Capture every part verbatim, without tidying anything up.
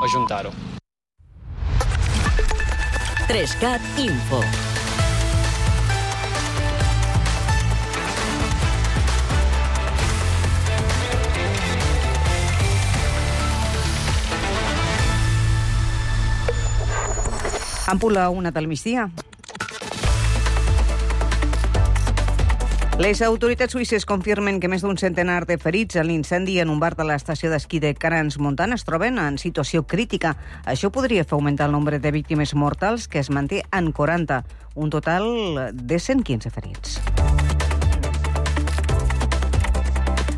ajuntar-ho. tres cat Info. Ampula, una del migdia. Les autoritats suïsses confirmen que més d'un centenar de ferits en l'incendi en un bar de l'estació d'esquí de Crans-Montana es troben en situació crítica. Això podria fer augmentar el nombre de víctimes mortals, que es manté en quaranta, un total de cent quinze ferits.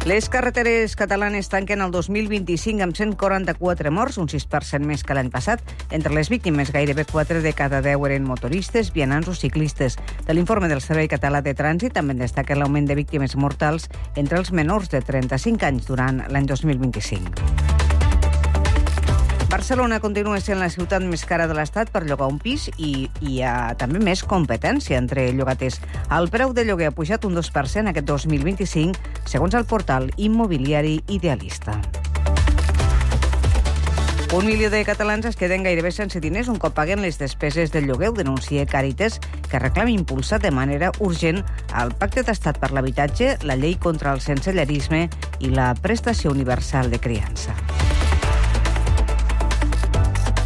Les carreteres catalanes tanquen el dos mil vint-i-cinc amb cent quaranta-quatre morts, un sis per cent més que l'any passat. Entre les víctimes, gairebé quatre de cada deu eren motoristes, vianants o ciclistes. De l'informe del Servei Català de Trànsit també destaca l'augment de víctimes mortals entre els menors de trenta-cinc anys durant l'any dos mil vint-i-cinc. Barcelona continua sent la ciutat més cara de l'Estat per llogar un pis i hi ha també més competència entre llogaters. El preu de lloguer ha pujat un dos per cent aquest dos mil vint-i-cinc, segons el portal immobiliari Idealista. Un milió de catalans es queden gairebé sense diners un cop paguen les despeses del lloguer, ho denuncia Càritas, que reclama impulsar de manera urgent el Pacte d'Estat per l'Habitatge, la llei contra el sensellarisme i la prestació universal de criança.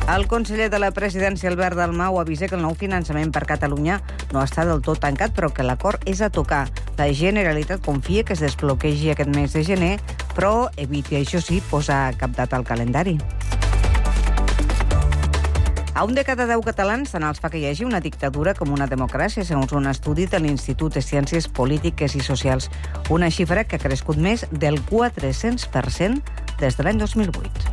El conseller de la presidència, Albert Dalmau, avisa que el nou finançament per Catalunya no està del tot tancat, però que l'acord és a tocar. La Generalitat confia que es desbloquegi aquest mes de gener, però eviti, això sí, posar cap data al calendari. A un de cada deu catalans tant els fa que hi hagi una dictadura com una democràcia, segons un estudi de l'Institut de Ciències Polítiques i Socials. Una xifra que ha crescut més del quatre-cents per cent des de l'any dos mil vuit.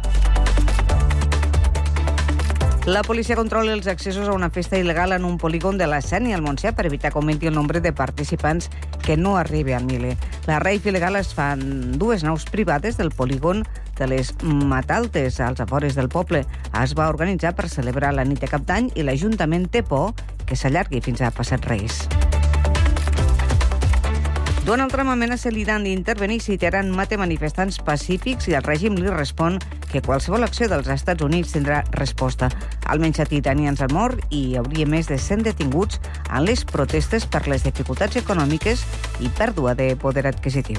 La policia controla els accessos a una festa il·legal en un polígon de la Sénia al Montsià per evitar que augmenti el nombre de participants que no arribi al miler. La rave il·legal es fa en dues naus privades del polígon de les Mataltes, als afores del poble. Es va organitzar per celebrar la nit de Cap d'Any i l'Ajuntament té por que s'allargui fins a passat Reis. Donald Trump amenaça l'Iran d'intervenir si Teheran mata manifestants pacífics i el règim li respon que qualsevol acció dels Estats Units tindrà resposta. Almenys set iranians han mort i hi hauria més de cent detinguts en les protestes per les dificultats econòmiques i pèrdua de poder adquisitiu.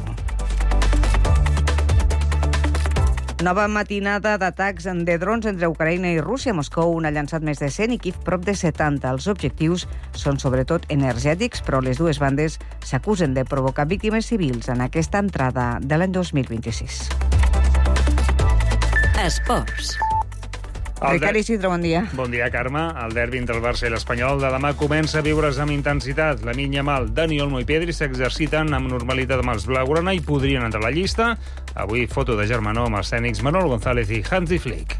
Nova matinada d'atacs de drons entre Ucraïna i Rússia. Moscou n'ha llançat més de cent i Kíev prop de setanta. Els objectius són sobretot energètics, però les dues bandes s'acusen de provocar víctimes civils en aquesta entrada de l'any dos mil vint-i-sis. Esports. Ricard Isidre, bon dia. Bon dia, Carme. El derbi entre el Barça i l'Espanyol de demà comença a viure's amb intensitat. Lamine Yamal, Dani Olmo i Pedri s'exerciten amb normalitat amb els blaugrana i podrien entrar a la llista. Avui foto de germanor amb els tècnics Manol González i Hansi Flick.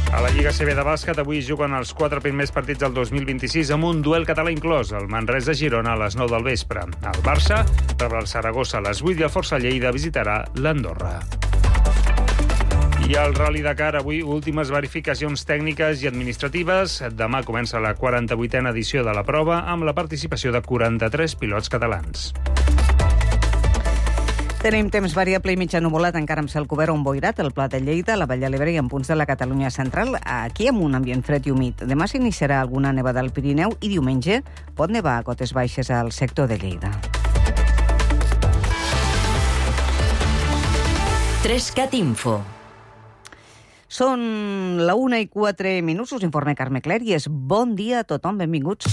A la Lliga C B de bàsquet avui juguen els quatre primers partits del dos mil vint-i-sis amb un duel català inclòs. El Manresa-Girona a les nou del vespre. El Barça rebrà el Saragossa a les vuit i el Força Lleida visitarà l'Andorra. I al Rally Dakar, avui, últimes verificacions tècniques i administratives. Demà comença la quaranta-vuitena edició de la prova amb la participació de quaranta-tres pilots catalans. Tenim temps variable i mitja nuvolat, encara amb cel cobert o emboirat, al Pla de Lleida, a la Vall de l'Ebre i en punts de la Catalunya central, aquí amb un ambient fred i humit. Demà s'iniciarà alguna nevada al Pirineu i diumenge pot nevar a cotes baixes al sector de Lleida. tres cat Info. Són la una i quatre minuts, us informa Carme Clèries. Bon dia a tothom, benvinguts.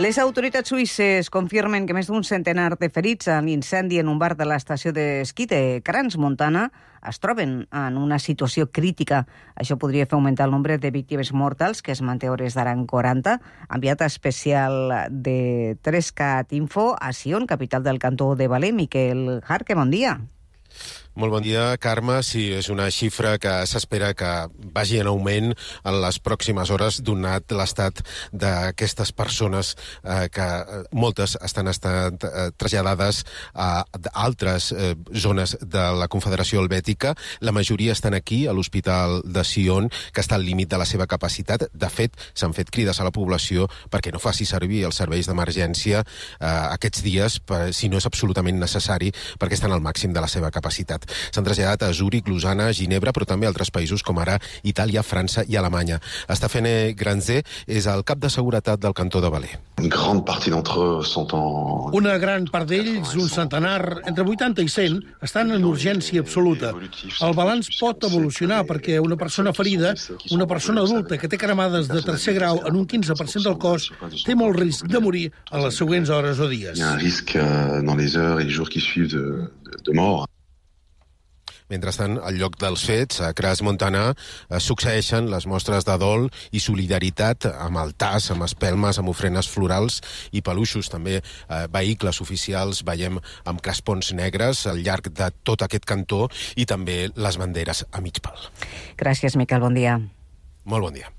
Les autoritats suïsses confirmen que més d'un centenar de ferits en l'incendi en un bar de l'estació d'esquí de Crans-Montana es troben en una situació crítica. Això podria fer augmentar el nombre de víctimes mortals, que es manté a hores d'ara en quaranta. Enviat especial de tres cat Info a Sion, capital del cantó de Valais, Miquel Jarque, bon dia. Molt bon dia, Carme. Sí, és una xifra que s'espera que vagi en augment en les pròximes hores, donat l'estat d'aquestes persones eh, que moltes estan estat eh, traslladades a altres eh, zones de la Confederació Helvètica. La majoria estan aquí, a l'Hospital de Sion, que està al límit de la seva capacitat. De fet, s'han fet crides a la població perquè no faci servir els serveis d'emergència eh, aquests dies, per, si no és absolutament necessari, perquè estan al màxim de la seva capacitat. S'han traslladat a Zúrich, Lausana, Ginebra, però també a altres països com ara Itàlia, França i Alemanya. Stéphane Granzé és el cap de seguretat del cantó de Valais. Una gran part d'ells, un centenar, entre vuitanta i cent, estan en urgència absoluta. El balanç pot evolucionar perquè una persona ferida, una persona adulta que té cremades de tercer grau en un quinze per cent del cos, té molt risc de morir a les següents hores o dies. Hi ha un risc dans les heures et les jours qui suivent de, de, de mort. Mentrestant, al lloc dels fets, a Crans-Montana, eh, succeeixen les mostres de dol i solidaritat amb altars, amb espelmes, amb ofrenes florals i peluixos. També eh, vehicles oficials veiem amb crespons negres al llarg de tot aquest cantó i també les banderes a mig pal. Gràcies, Miquel. Bon dia. Molt bon dia.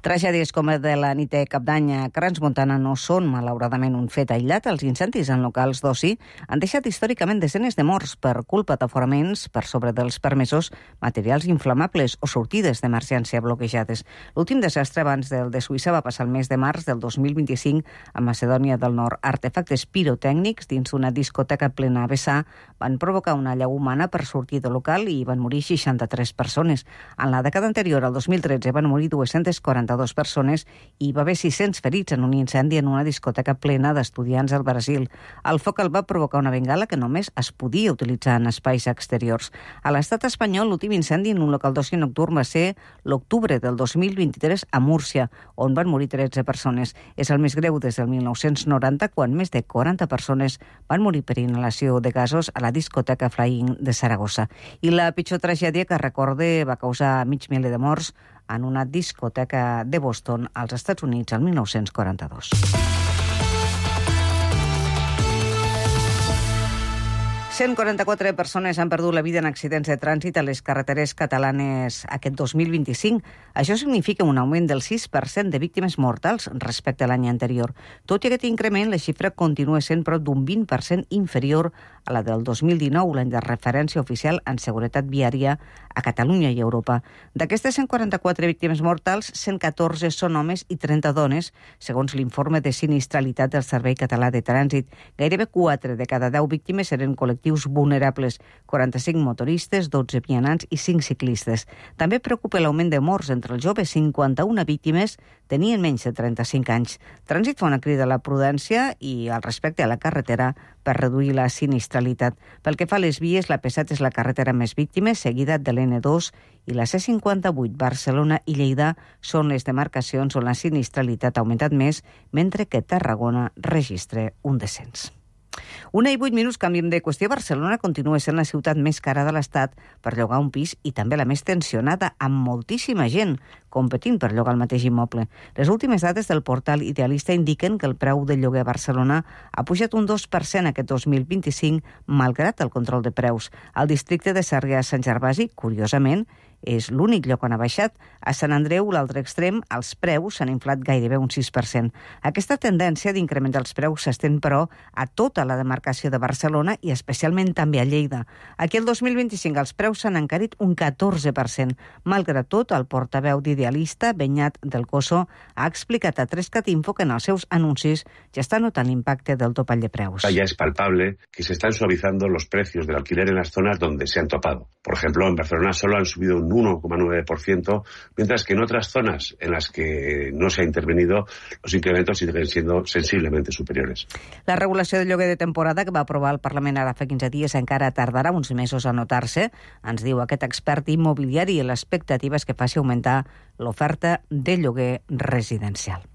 Tragèdies com la de la nit de Cap d'Any a Crans-Montana no són, malauradament, un fet aïllat. Els incendis en locals d'oci han deixat històricament desenes de morts per culpa d'aforaments per sobre dels permesos, materials inflamables o sortides d'emergència bloquejades. L'últim desastre abans del de Suïssa va passar el mes de març del dos mil vint-i-cinc a Macedònia del Nord. Artefactes pirotècnics dins d'una discoteca plena a vessar van provocar una allau humana per sortir del local i van morir seixanta-tres persones. En la dècada anterior, el dos mil tretze, van morir dues-centes quaranta-dues persones i hi va haver sis-cents ferits en un incendi en una discoteca plena d'estudiants al Brasil. El foc el va provocar una bengala que només es podia utilitzar en espais exteriors. A l'estat espanyol, l'últim incendi en un local d'oci nocturn va ser l'octubre del dos mil vint-i-tres a Múrcia, on van morir tretze persones. És el més greu des del mil nou-cents noranta, quan més de quaranta persones van morir per inhalació de gasos a la discoteca Flying de Saragossa. I la pitjor tragèdia que recorde va causar mig miler de morts en una discoteca de Boston, als Estats Units, el mil nou-cents quaranta-dos. cent quaranta-quatre persones han perdut la vida en accidents de trànsit a les carreteres catalanes aquest dos mil vint-i-cinc. Això significa un augment del sis per cent de víctimes mortals respecte a l'any anterior. Tot i aquest increment, la xifra continua sent prop d'un vint per cent inferior a la del dos mil dinou, l'any de referència oficial en seguretat viària a Catalunya i Europa. D'aquestes cent quaranta-quatre víctimes mortals, cent catorze són homes i trenta dones, segons l'informe de sinistralitat del Servei Català de Trànsit. Gairebé quatre de cada deu víctimes eren col·lectius vulnerables, quaranta-cinc motoristes, dotze vianants i cinc ciclistes. També preocupa l'augment de morts entre els joves. cinquanta-una víctimes tenien menys de trenta-cinc anys. Trànsit fa una crida a la prudència i al respecte a la carretera per reduir la sinistralitat. Pel que fa a les vies, la P set és la carretera més víctimes, seguida de l'N dos, i la C cinquanta-vuit, Barcelona i Lleida són les demarcacions on la sinistralitat ha augmentat més, mentre que Tarragona registra un descens. Una i vuit minuts, canviem de qüestió. Barcelona continua sent la ciutat més cara de l'Estat per llogar un pis i també la més tensionada, amb moltíssima gent competint per llogar el mateix immoble. Les últimes dades del portal Idealista indiquen que el preu del lloguer a Barcelona ha pujat un dos per cent aquest dos mil vint-i-cinc, malgrat el control de preus. Al districte de Sarrià-Sant Gervasi, curiosament, és l'únic lloc on ha baixat. A Sant Andreu, l'altre extrem, els preus s'han inflat gairebé un sis per cent. Aquesta tendència d'increment dels preus s'estén, però, a tota la demarcació de Barcelona i especialment també a Lleida. Aquí el dos mil vint-i-cinc els preus s'han encarit un catorze per cent. Malgrat tot, el portaveu d'Idealista, Beñat del Coso, ha explicat a Trescat Info que en els seus anuncis ja està notant l'impacte del topall de preus. Ya es palpable que se están suavizando los precios del alquiler en las zonas donde se han topado. Por ejemplo, en Barcelona solo han subido un uno coma nueve por ciento, mientras que en otras zonas en las que no se ha intervenido, los incrementos siguen siendo sensiblemente superiores. La regulació del lloguer de temporada que va aprovar el Parlament ara fa quinze dies encara tardarà uns mesos a notar-se, ens diu aquest expert immobiliari, i l'expectativa és que faci augmentar l'oferta de lloguer residencial.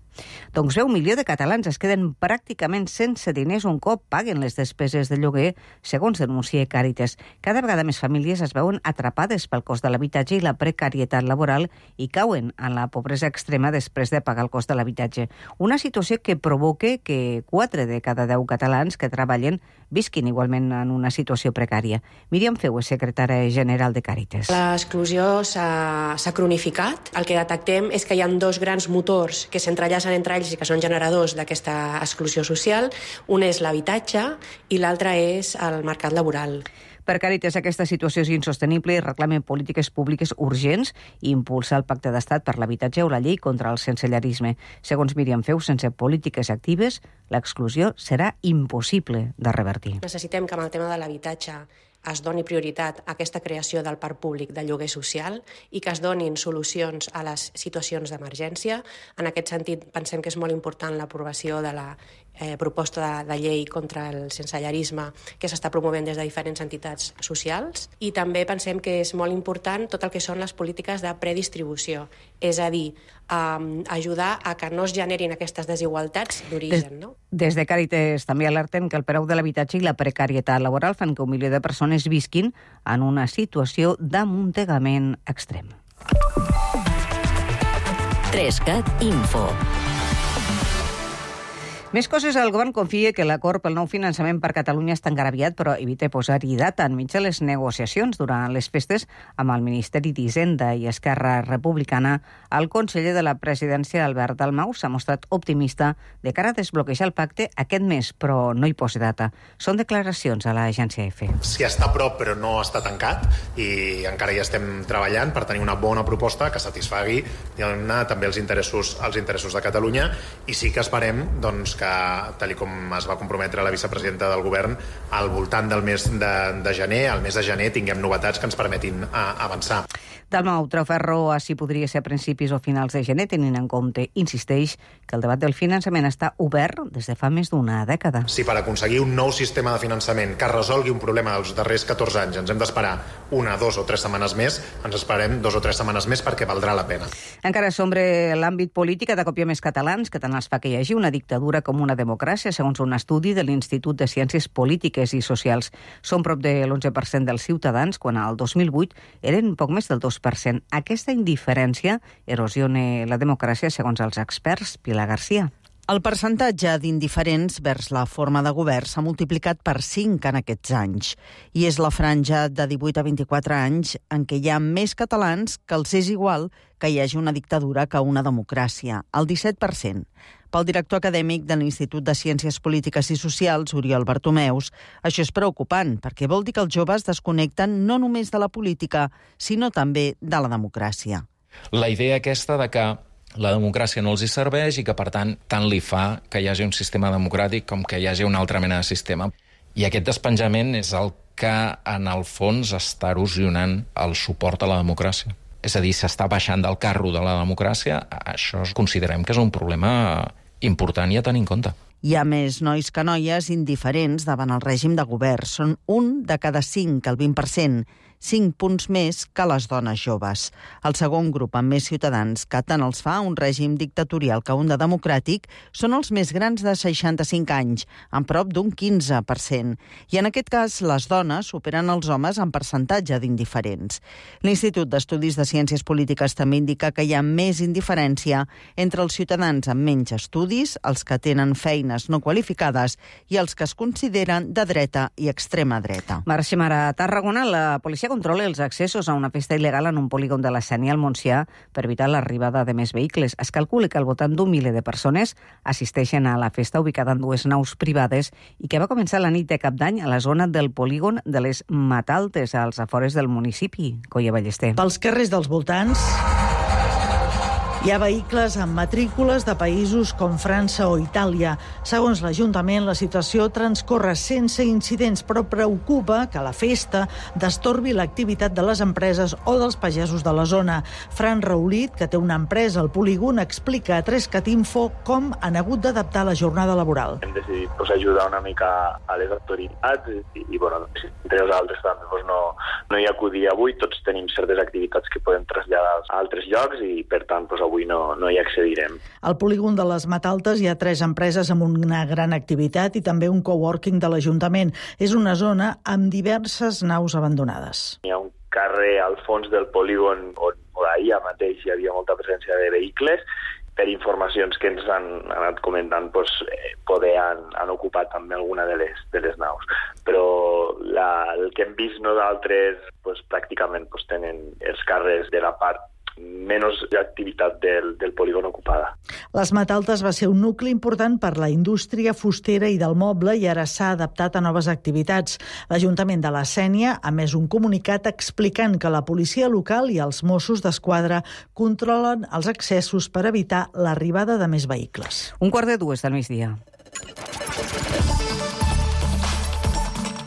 Doncs bé, un milió de catalans es queden pràcticament sense diners un cop paguen les despeses de lloguer, segons denuncia Càritas. Cada vegada més famílies es veuen atrapades pel cost de l'habitatge i la precarietat laboral i cauen en la pobresa extrema després de pagar el cost de l'habitatge. Una situació que provoca que quatre de cada deu catalans que treballen visquin igualment en una situació precària. Míriam Feu és secretària general de Càritas. L'exclusió s'ha cronificat. El que detectem és que hi ha dos grans motors que s'entrellacen entre ells i que són generadors d'aquesta exclusió social. Un és l'habitatge i l'altre és el mercat laboral. Per Càritas, aquesta situació és insostenible i reclamen polítiques públiques urgents i impulsar el Pacte d'Estat per l'habitatge o la llei contra el sensellarisme. Segons Míriam Feu, sense polítiques actives, l'exclusió serà impossible de revertir. Necessitem que amb el tema de l'habitatge es doni prioritat a aquesta creació del parc públic de lloguer social i que es donin solucions a les situacions d'emergència. En aquest sentit, pensem que és molt important l'aprovació de la eh, proposta de, de llei contra el sensellarisme que s'està promovent des de diferents entitats socials, i també pensem que és molt important tot el que són les polítiques de predistribució, és a dir, eh, ajudar a que no es generin aquestes desigualtats d'origen. No? Des de Càritas també alerten que el preu de l'habitatge i la precarietat laboral fan que un milió de persones visquin en una situació d'amuntegament extrem. Trescat Info. Més coses, el govern confia que l'acord pel nou finançament per Catalunya està encara però evita posar-hi data enmig de les negociacions durant les festes amb el Ministeri d'Hisenda i Esquerra Republicana. El conseller de la presidència, Albert Dalmau, s'ha mostrat optimista de cara a desbloquejar el pacte aquest mes, però no hi posa data. Són declaracions a l'agència E F E. Sí, està a prop, però no està tancat, i encara hi estem treballant per tenir una bona proposta que satisfagui també els interessos, els interessos de Catalunya, i sí que esperem doncs, que, tal com es va comprometre la vicepresidenta del govern, al voltant del mes de, de gener, al mes de gener, tinguem novetats que ens permetin a, avançar. Dalmau treu ferro a si podria ser a principis o finals de gener, tenint en compte, insisteix, que el debat del finançament està obert des de fa més d'una dècada. Si per aconseguir un nou sistema de finançament que resolgui un problema dels darrers catorze anys ens hem d'esperar una, dos o tres setmanes més, ens esperem dos o tres setmanes més perquè valdrà la pena. Encara sobre l'àmbit polític, de cop hi ha més catalans que tant els fa que hi hagi una dictadura com una democràcia, segons un estudi de l'Institut de Ciències Polítiques i Socials. Són prop de l'onze per cent dels ciutadans, quan al dos mil vuit eren poc més del dos per cent. Aquesta indiferència erosiona la democràcia, segons els experts. Pilar Garcia. El percentatge d'indiferents vers la forma de govern s'ha multiplicat per cinc en aquests anys, i és la franja de divuit a vint-i-quatre anys en què hi ha més catalans que els és igual que hi hagi una dictadura que una democràcia, el disset per cent. Pel director acadèmic de l'Institut de Ciències Polítiques i Socials, Oriol Bartomeus, això és preocupant, perquè vol dir que els joves desconnecten no només de la política, sinó també de la democràcia. La idea aquesta de que la democràcia no els hi serveix i que, per tant, tant li fa que hi hagi un sistema democràtic com que hi hagi una altra mena de sistema. I aquest despenjament és el que, en el fons, està erosionant el suport a la democràcia. És a dir, s'està baixant del carro de la democràcia. Això considerem que és un problema important i a tenir en compte. Hi ha més nois que noies indiferents davant el règim de govern. Són un de cada cinc, el vint per cent, cinc punts més que les dones joves. El segon grup amb més ciutadans, que tant els fa un règim dictatorial que un de democràtic, són els més grans de seixanta-cinc anys, amb prop d'un quinze per cent. I en aquest cas, les dones superen els homes en percentatge d'indiferents. L'Institut d'Estudis de Ciències Polítiques també indica que hi ha més indiferència entre els ciutadans amb menys estudis, els que tenen feines no qualificades i els que es consideren de dreta i extrema dreta. Marxem ara a Tarragona. La policia controla els accessos a una festa il·legal en un polígon de la Sénia al Montsià per evitar l'arribada de més vehicles. Es calcula que al voltant d'un miler de persones assisteixen a la festa ubicada en dues naus privades i que va començar la nit de Cap d'Any a la zona del polígon de les Mataltes, als afores del municipi. Coia Ballester. Pels carrers dels voltants hi ha vehicles amb matrícules de països com França o Itàlia. Segons l'Ajuntament, la situació transcorre sense incidents, però preocupa que la festa destorbi l'activitat de les empreses o dels pagesos de la zona. Fran Raulit, que té una empresa al polígon, explica a Trescat Info com han hagut d'adaptar la jornada laboral. Hem decidit pues, ajudar una mica a les autoritats i, i bueno, entre els altres també pues, no, No hi acudir avui, tots tenim certes activitats que podem traslladar a altres llocs i, per tant, doncs, avui no, no hi accedirem. Al polígon de les Mataltes hi ha tres empreses amb una gran activitat i també un coworking de l'Ajuntament. És una zona amb diverses naus abandonades. Hi ha un carrer al fons del polígon on, on ahir mateix hi havia molta presència de vehicles. Per informacions que ens han anat comentant, doncs, eh, poder han, han ocupat també alguna de les, de les naus. Però la, el que hem vist nosaltres, doncs, pràcticament doncs, tenen els carrers de la part menys activitat del, del polígon ocupada. Les Mataltes va ser un nucli important per la indústria fustera i del moble i ara s'ha adaptat a noves activitats. L'Ajuntament de la Sénia ha emès un comunicat explicant que la policia local i els Mossos d'Esquadra controlen els accessos per evitar l'arribada de més vehicles. Un quart de dues del migdia.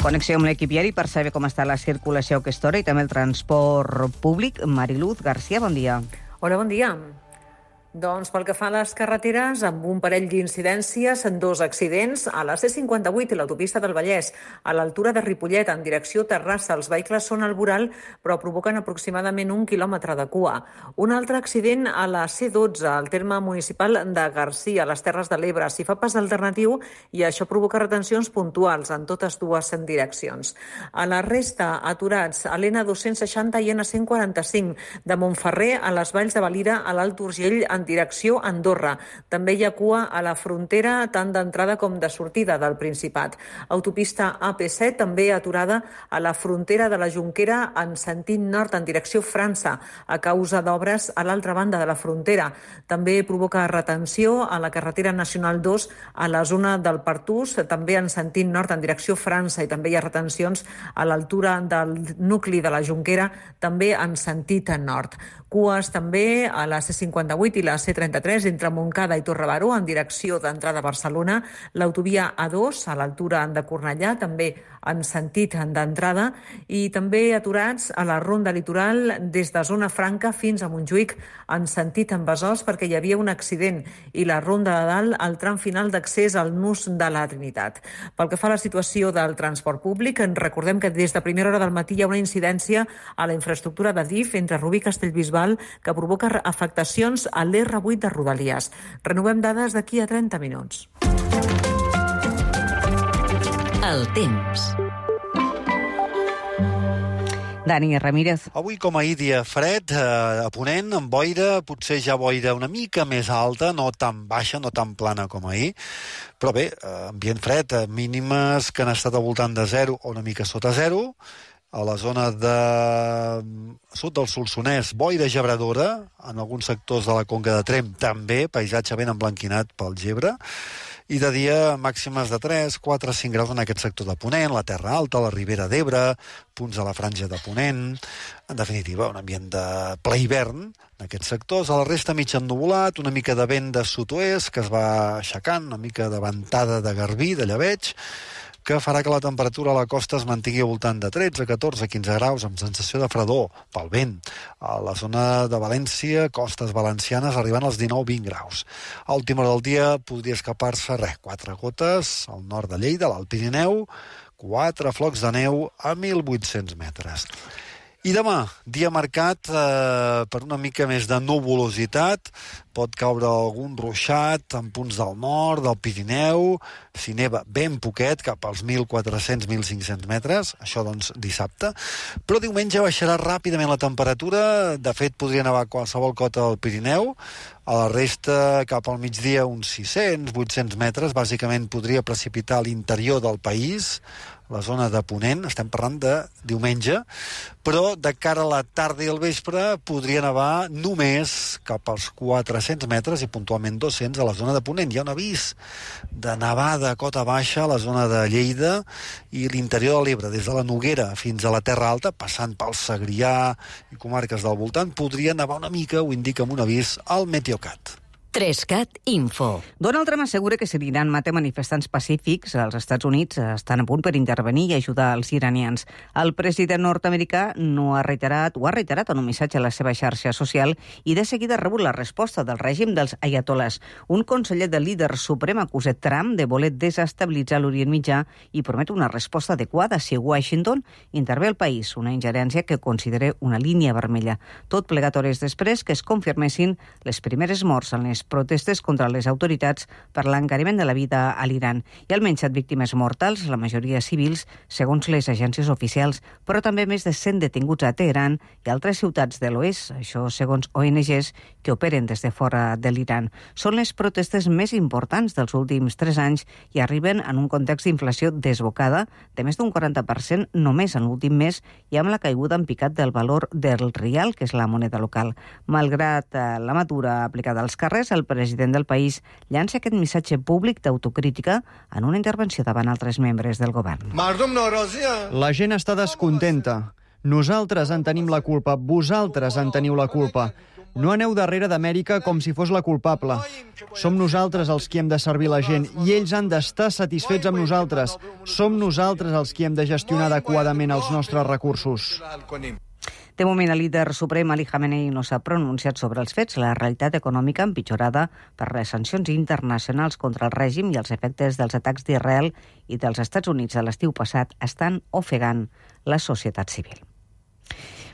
Connexió amb l'equip diari per saber com està la circulació a aquesta hora i també el transport públic. Mariluz García, bon dia. Hola, bon dia. Doncs pel que fa a les carreteres, amb un parell d'incidències, en dos accidents, a la C cinquanta-vuit i l'autopista del Vallès, a l'altura de Ripollet, en direcció Terrassa. Els vehicles són al voral, però provoquen aproximadament un quilòmetre de cua. Un altre accident a la C dotze, al terme municipal de Garcia, a les Terres de l'Ebre. S'hi fa pas alternatiu i això provoca retencions puntuals en totes dues direccions. A la resta, aturats a l'N dos-cents seixanta i N cent quaranta-cinc, de Montferrer a les Valls de Valira, a l'Alt Urgell, en direcció Andorra. També hi ha cua a la frontera tant d'entrada com de sortida del Principat. Autopista A P set també aturada a la frontera de la Jonquera en sentit nord en direcció França a causa d'obres a l'altra banda de la frontera. També provoca retenció a la carretera nacional dos a la zona del Pertús, també en sentit nord en direcció França, i també hi ha retencions a l'altura del nucli de la Jonquera, també en sentit nord. Cues també a la C cinquanta-vuit i la C trenta-tres entre Montcada i Torrebaró en direcció d'entrada a Barcelona, l'autovia A dos a l'altura de Cornellà, també en sentit d'entrada, i també aturats a la ronda litoral des de Zona Franca fins a Montjuïc en sentit en Besòs perquè hi havia un accident, i la ronda de dalt al tram final d'accés al nus de la Trinitat. Pel que fa a la situació del transport públic, en recordem que des de primera hora del matí hi ha una incidència a la infraestructura de D I F entre Rubí i Castellbisbal que provoca afectacions a l'R vuit de Rodalies. Renovem dades d'aquí a trenta minuts. El temps. Dani Ramírez. Avui, com ahir, dia fred, eh, a Ponent, amb boira, potser ja boira una mica més alta, no tan baixa, no tan plana com ahir, però bé, eh, ambient fred, eh, mínimes que han estat al voltant de zero o una mica sota zero. A la zona de sud del Solsonès, boira gebradora, en alguns sectors de la Conca de Tremp també, paisatge ben emblanquinat pel gebre, i de dia màximes de tres, quatre, cinc graus en aquest sector de Ponent, la Terra Alta, la Ribera d'Ebre, punts a la franja de Ponent. En definitiva, un ambient de ple hivern en aquests sectors. A la resta mig ennuvolat, una mica de vent de sud-oest que es va aixecant, una mica de ventada de garbí, de llebeig, que farà que la temperatura a la costa es mantingui al voltant de tretze, catorze, quinze graus, amb sensació de fredor pel vent. A la zona de València, costes valencianes, arribant als dinou vint graus. A última hora del dia podria escapar-se, res, quatre gotes al nord de Lleida, a l'Alt Pirineu, quatre flocs de neu a mil vuit-cents metres. I demà, dia marcat eh, per una mica més de nuvolositat, pot caure algun ruixat en punts del nord, del Pirineu, si neva ben poquet, cap als mil quatre-cents a mil cinc-cents metres, això doncs dissabte, però diumenge baixarà ràpidament la temperatura, de fet podria nevar qualsevol cota al Pirineu, a la resta cap al migdia uns sis-cents a vuit-cents metres, bàsicament podria precipitar a l'interior del país, la zona de Ponent, estem parlant de diumenge, però de cara a la tarda i al vespre podria nevar només cap als quatre-cents metres i puntualment dos-cents a la zona de Ponent. Hi ha un avís de nevada a cota baixa a la zona de Lleida i l'interior de l'Ebre, des de la Noguera fins a la Terra Alta, passant pel Segrià i comarques del voltant, podria nevar una mica, ho indica amb un avís al Meteocat. Trescat Info. Donald Trump assegura que si l'Iran mata manifestants pacífics, els Estats Units estan a punt per intervenir i ajudar els iranians. El president nord-americà no ha reiterat, o ha reiterat en un missatge a la seva xarxa social i de seguida ha rebut la resposta del règim dels ayatolás. Un conseller del líder suprem acusa Trump de voler desestabilitzar l'Orient Mitjà i promet una resposta adequada si Washington intervé al país, una ingerència que considera una línia vermella. Tot plegat hores després que es confirmessin les primeres morts en les protestes contra les autoritats per l'encariment de la vida a l'Iran. Hi ha almenys set víctimes mortals, la majoria civils, segons les agències oficials, però també més de cent detinguts a Teheran i altres ciutats de l'oest, això segons O N Ges que operen des de fora de l'Iran. Són les protestes més importants dels últims tres anys i arriben en un context d'inflació desbocada de més d'un quaranta per cent només en l'últim mes i amb la caiguda en picat del valor del rial, que és la moneda local. Malgrat la mesura aplicada als carrers, el president del país llança aquest missatge públic d'autocrítica en una intervenció davant altres membres del govern. La gent està descontenta. Nosaltres en tenim la culpa, vosaltres en teniu la culpa. No aneu darrere d'Amèrica com si fos la culpable. Som nosaltres els qui hem de servir la gent i ells han d'estar satisfets amb nosaltres. Som nosaltres els qui hem de gestionar adequadament els nostres recursos. De moment, el líder suprem Ali Khamenei no s'ha pronunciat sobre els fets. La realitat econòmica empitjorada per les sancions internacionals contra el règim i els efectes dels atacs d'Israel i dels Estats Units a l'estiu passat estan ofegant la societat civil.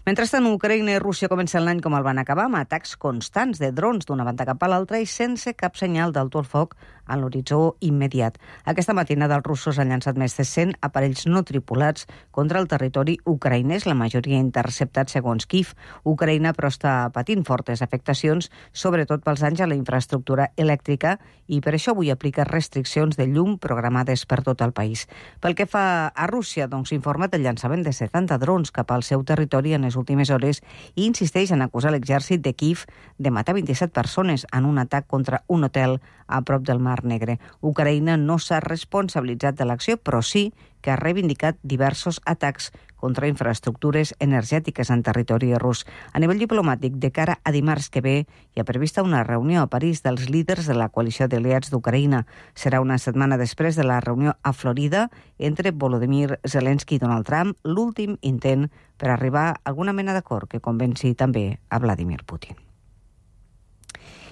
Mentrestant, Ucraïna i Rússia comencen l'any com el van acabar, amb atacs constants de drons d'una banda cap a l'altra i sense cap senyal d'alto el foc en l'horitzó immediat. Aquesta matinada els russos han llançat més de cent aparells no tripulats contra el territori ucraïnès, la majoria interceptats segons Kiev. Ucraïna, però, està patint fortes afectacions, sobretot pels danys a la infraestructura elèctrica, i per això avui aplica restriccions de llum programades per tot el país. Pel que fa a Rússia, doncs s'informa del llançament de setanta drons cap al seu territori en les últimes hores i insisteix en acusar l'exèrcit de Kiev de matar vint-i-set persones en un atac contra un hotel a prop del Mar Negre. Ucraïna no s'ha responsabilitzat de l'acció, però sí que ha reivindicat diversos atacs contra infraestructures energètiques en territori rus. A nivell diplomàtic, de cara a dimarts que ve, hi ha prevista una reunió a París dels líders de la coalició d'aliats d'Ucraïna. Serà una setmana després de la reunió a Florida entre Volodymyr Zelensky i Donald Trump, l'últim intent per arribar a alguna mena d'acord que convenci també a Vladimir Putin.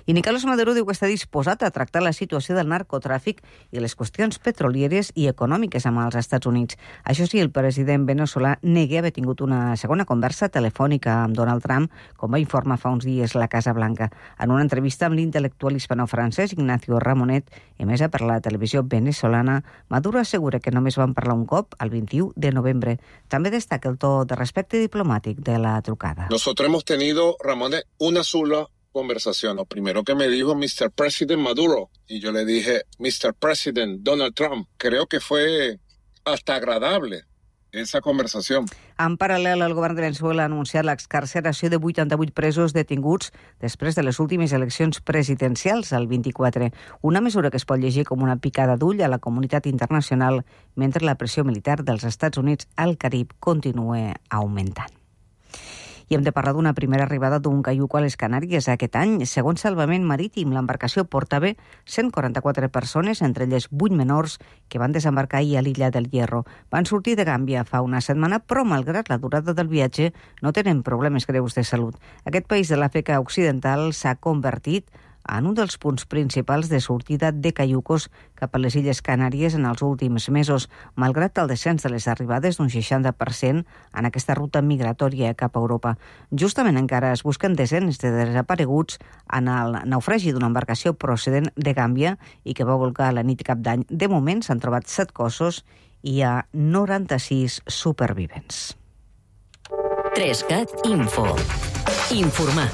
I Nicolás Maduro diu que està disposat a tractar la situació del narcotràfic i les qüestions petrolieres i econòmiques amb els Estats Units. Això sí, el president veneçolà nega haver tingut una segona conversa telefònica amb Donald Trump, com va informar fa uns dies la Casa Blanca. En una entrevista amb l'intel·lectual hispano-francès Ignacio Ramonet, emesa per la televisió venezolana, Maduro assegura que només van parlar un cop, el vint-i-u de novembre. També destaca el to de respecte diplomàtic de la trucada. Nosotros hemos tenido, Ramonet, una sola conversación. Lo primero que me dijo mister President Maduro y yo le dije mister President Donald Trump. Creo que fue hasta agradable esa conversación. En paral·lel, el govern de Venezuela ha anunciat l'excarceració de vuitanta-vuit presos detinguts després de les últimes eleccions presidencials, el vint-i-quatre. Una mesura que es pot llegir com una picada d'ull a la comunitat internacional mentre la pressió militar dels Estats Units al Carib continua augmentant. I hem de parlar d'una primera arribada d'un caiuc a les Canàries aquest any. Segons Salvament Marítim, l'embarcació portava cent quaranta-quatre persones, entre elles vuit menors, que van desembarcar ahir a l'illa del Hierro. Van sortir de Gàmbia fa una setmana, però malgrat la durada del viatge no tenen problemes greus de salut. Aquest país de l'Àfrica Occidental s'ha convertit en un dels punts principals de sortida de caiucos cap a les Illes Canàries en els últims mesos, malgrat el descens de les arribades d'un seixanta per cent en aquesta ruta migratòria cap a Europa. Justament encara es busquen desenes de desapareguts en el naufragi d'una embarcació procedent de Gàmbia i que va volcar la nit cap d'any. De moment s'han trobat set cossos i hi ha noranta-sis supervivents. Trescat Info. Informar,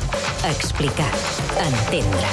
explicar, entendre.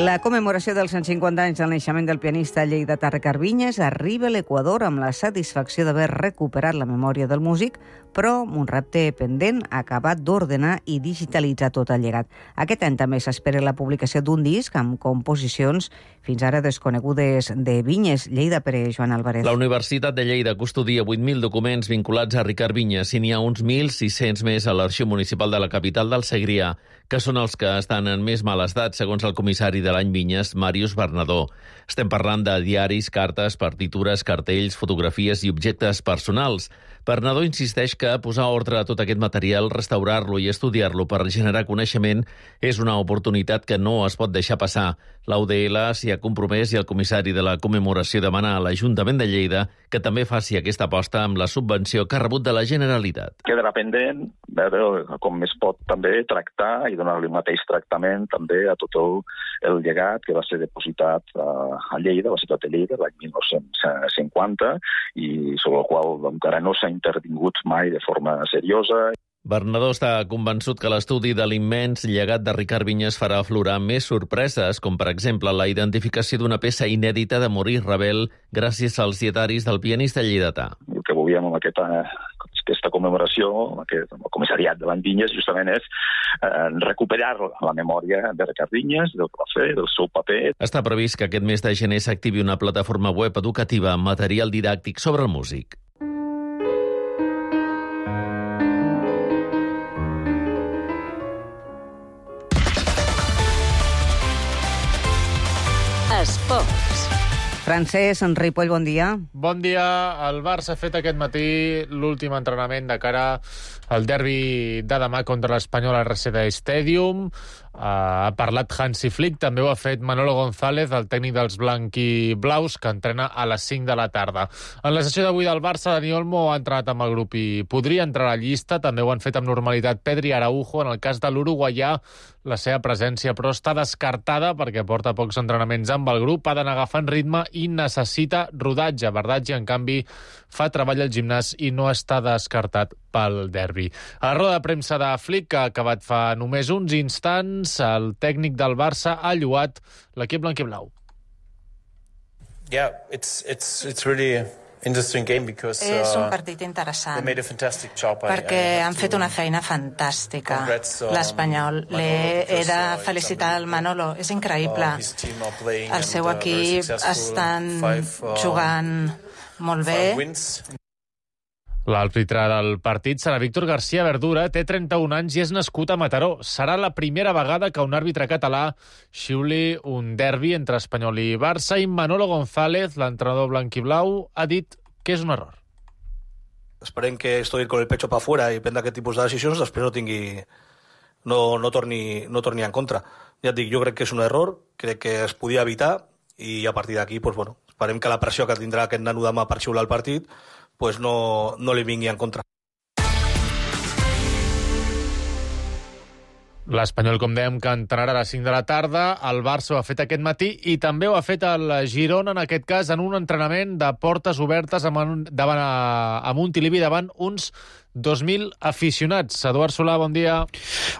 La commemoració dels cent cinquanta anys del naixement del pianista lleidatà Ricard Vinyes arriba a l'Equador amb la satisfacció d'haver recuperat la memòria del músic, però amb un repte pendent acabat d'ordenar i digitalitzar tot el llegat. Aquest any també s'espera la publicació d'un disc amb composicions fins ara desconegudes de Vinyes. Lleida per Joan Álvarez. La Universitat de Lleida custodia vuit mil documents vinculats a Ricard Vinyes i n'hi ha uns mil sis-cents més a l'Arxiu Municipal de la capital del Segrià, que són els que estan en més mal estat, segons el comissari de l'any Vinyes, Màrius Bernadó. Estem parlant de diaris, cartes, partitures, cartells, fotografies i objectes personals. Bernadó insisteix que posar ordre a tot aquest material, restaurar-lo i estudiar-lo per generar coneixement és una oportunitat que no es pot deixar passar. L'A U D L s'hi ha compromès i el comissari de la commemoració demana a l'Ajuntament de Lleida que també faci aquesta aposta amb la subvenció que ha rebut de la Generalitat. Quedarà pendent veure com es pot també tractar i donar-li el mateix tractament també a tot el llegat que va ser depositat a Lleida, a la ciutat de Lleida, l'any mil nou-cents cinquanta, i sobre el qual encara no s'ha intervingut mai de forma seriosa. Bernadó està convençut que l'estudi de l'immens llegat de Ricard Vinyes farà aflorar més sorpreses, com per exemple la identificació d'una peça inèdita de Maurice Ravel gràcies als dietaris del pianista lleidatà. El que volíem amb aquesta, aquesta commemoració, aquest, el comissariat de l'any Vinyes, justament és eh, recuperar la memòria de Ricard Vinyes, del que va fer, del seu paper. Està previst que aquest mes de gener s'activi una plataforma web educativa amb material didàctic sobre el músic. Esports. Francesc Ripoll, bon dia. Bon dia. El Barça ha fet aquest matí l'últim entrenament de cara al derbi de demà contra l'Espanyol al R C D Stadium. Uh, ha parlat Hansi Flick, també ho ha fet Manolo González, el tècnic dels blanquiblaus, que entrena a les cinc de la tarda. En la sessió d'avui del Barça, Dani Olmo ha entrenat amb el grup i podria entrar a la llista. També ho han fet amb normalitat Pedri i Araujo. En el cas de l'uruguaià, la seva presència però està descartada perquè porta pocs entrenaments amb el grup, ha d'anar agafant ritme i necessita rodatge. Bardaggi, en canvi, fa treball al gimnàs i no està descartat pel derbi. A la roda de premsa de Flick, que ha acabat fa només uns instants, el tècnic del Barça ha lloat l'equip blanquiblau. Yeah, it's it's it's really interesting game because uh, és un partit interessant they made a fantastic job. perquè I, I han fet una feina fantàstica. Um, L'Espanyol he de felicitar el Manolo, és increïble. Uh, el seu equip estan five, uh, jugant molt bé. L'àrbitre del partit serà Víctor García Verdura, té trenta-un anys i és nascut a Mataró. Serà la primera vegada que un àrbitre català xiuli un derbi entre Espanyol i Barça, i Manolo González, l'entrenador blanquiblau, ha dit que és un error. Esperem que esto ir con el pecho para afuera i prendre aquest tipus de decisions, després no tingui... no, no, torni, no torni en contra. Ja et dic, jo crec que és un error, crec que es podia evitar, i a partir d'aquí, pues, bueno, esperem que la pressió que tindrà aquest nano demà per xiular el partit pues no, no li vingui en contra. L'Espanyol, com dèiem, que entrarà a les cinc de la tarda. El Barça ho ha fet aquest matí i també ho ha fet el Girona, en aquest cas, en un entrenament de portes obertes amb, davant a, a Montilivi, davant uns dos mil aficionats. Eduard Solà, bon dia.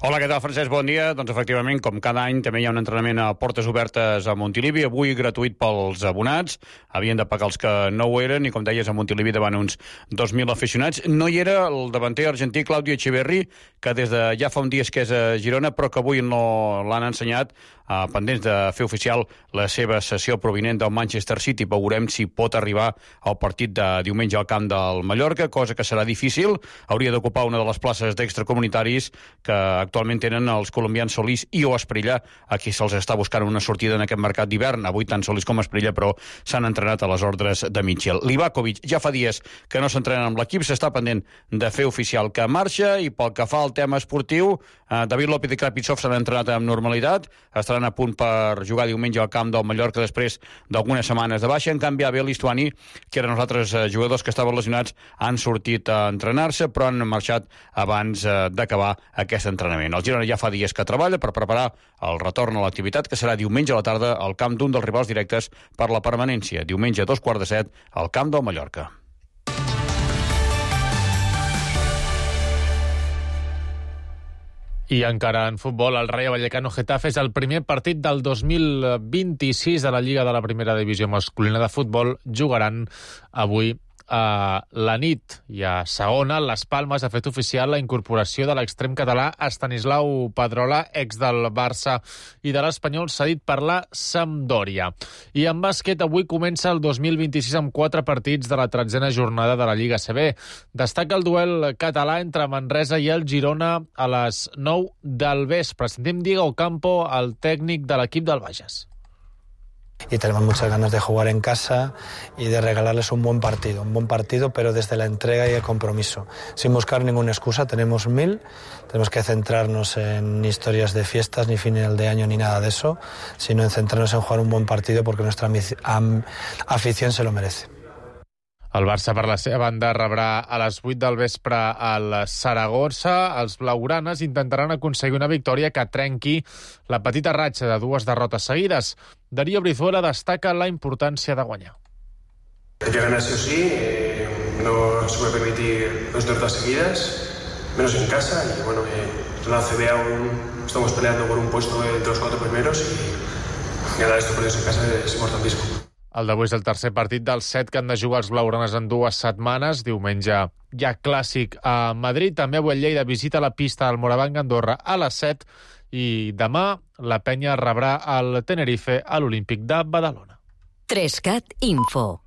Hola, què tal, Francesc? Bon dia. Doncs, efectivament, com cada any, també hi ha un entrenament a portes obertes a Montilivi, avui gratuït pels abonats. Havien de pagar els que no ho eren, i, com deies, a Montilivi davant uns dos mil aficionats. No hi era el davanter argentí Claudio Echeverri, que des de ja fa un dia que és a Girona, però que avui no l'han ensenyat, eh, pendents de fer oficial la seva sessió provinent del Manchester City. Veurem si pot arribar al partit de diumenge al camp del Mallorca, cosa que serà difícil. Hauria d'ocupar una de les places d'extracomunitaris que actualment tenen els colombians Solís i o Esprilla, a qui se'ls està buscant una sortida en aquest mercat d'hivern. Avui tant Solís com Esprilla, però, s'han entrenat a les ordres de Mitchell. Livakovic ja fa dies que no s'entrena amb l'equip, s'està pendent de fer oficial que marxa, i pel que fa al tema esportiu, eh, David López i Krapitsov s'han entrenat amb normalitat, estaran a punt per jugar diumenge al camp del Mallorca després d'algunes setmanes de baixa. En canvi, Abel Istuani, que eren els altres eh, jugadors que estaven lesionats, han sortit a entrenar-se, però han marxat abans eh, d'acabar aquest entrenament. El Girona ja fa dies que treballa per preparar el retorn a l'activitat, que serà diumenge a la tarda al camp d'un dels rivals directes per la permanència. Diumenge a dos quarts de set al camp del Mallorca. I encara en futbol, el Rayo Vallecano-Getafe és el primer partit del dos mil vint-i-sis de la Lliga de la Primera Divisió Masculina de Futbol. Jugaran avui a la nit. I a segona, Las Palmes ha fet oficial la incorporació de l'extrem català Estanislau Pedrola, ex del Barça i de l'Espanyol, cedit per la Sampdoria. I en bàsquet, avui comença el dos mil vint-i-sis amb quatre partits de la tretzena jornada de la Lliga A C B. Destaca el duel català entre Manresa i el Girona a les nou del vespre. Sentim Diego Campo, el tècnic de l'equip del Bages. Y tenemos muchas ganas de jugar en casa y de regalarles un buen partido, un buen partido, pero desde la entrega y el compromiso, sin buscar ninguna excusa. Tenemos mil, tenemos que centrarnos en historias de fiestas, ni final de año, ni nada de eso, sino en centrarnos en jugar un buen partido porque nuestra afición se lo merece. El Barça, per la seva banda, rebrà a les vuit del vespre al Saragossa. Els blaugranes intentaran aconseguir una victòria que trenqui la petita ratxa de dues derrotes seguides. Darío Brizuela destaca la importància de guanyar. Hay que ganar sí o sí, eh, no se puede permitir dos derrotas seguidas, menos en casa. Y bueno, eh, en la A C B aún estamos peleando por un puesto entre los cuatro primeros y ganar estos partidos en casa es importantísimo. El d'avui és el tercer partit dels set que han de jugar els blaugranes en dues setmanes. Diumenge hi ha clàssic a Madrid. També avui el Lleida visita la pista del Morabanc Andorra a les set. I demà la Penya rebrà el Tenerife a l'Olímpic de Badalona. Trescat Info.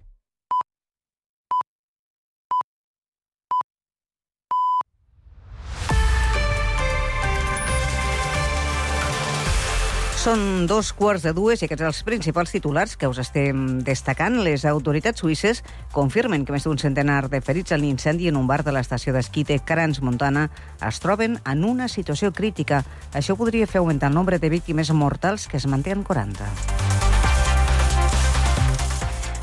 Són dos quarts de dues i aquests són els principals titulars que us estem destacant. Les autoritats suïsses confirmen que més d'un centenar de ferits en l'incendi en un bar de l'estació d'esquí de Crans-Montana es troben en una situació crítica. Això podria fer augmentar el nombre de víctimes mortals, que es manté en quaranta.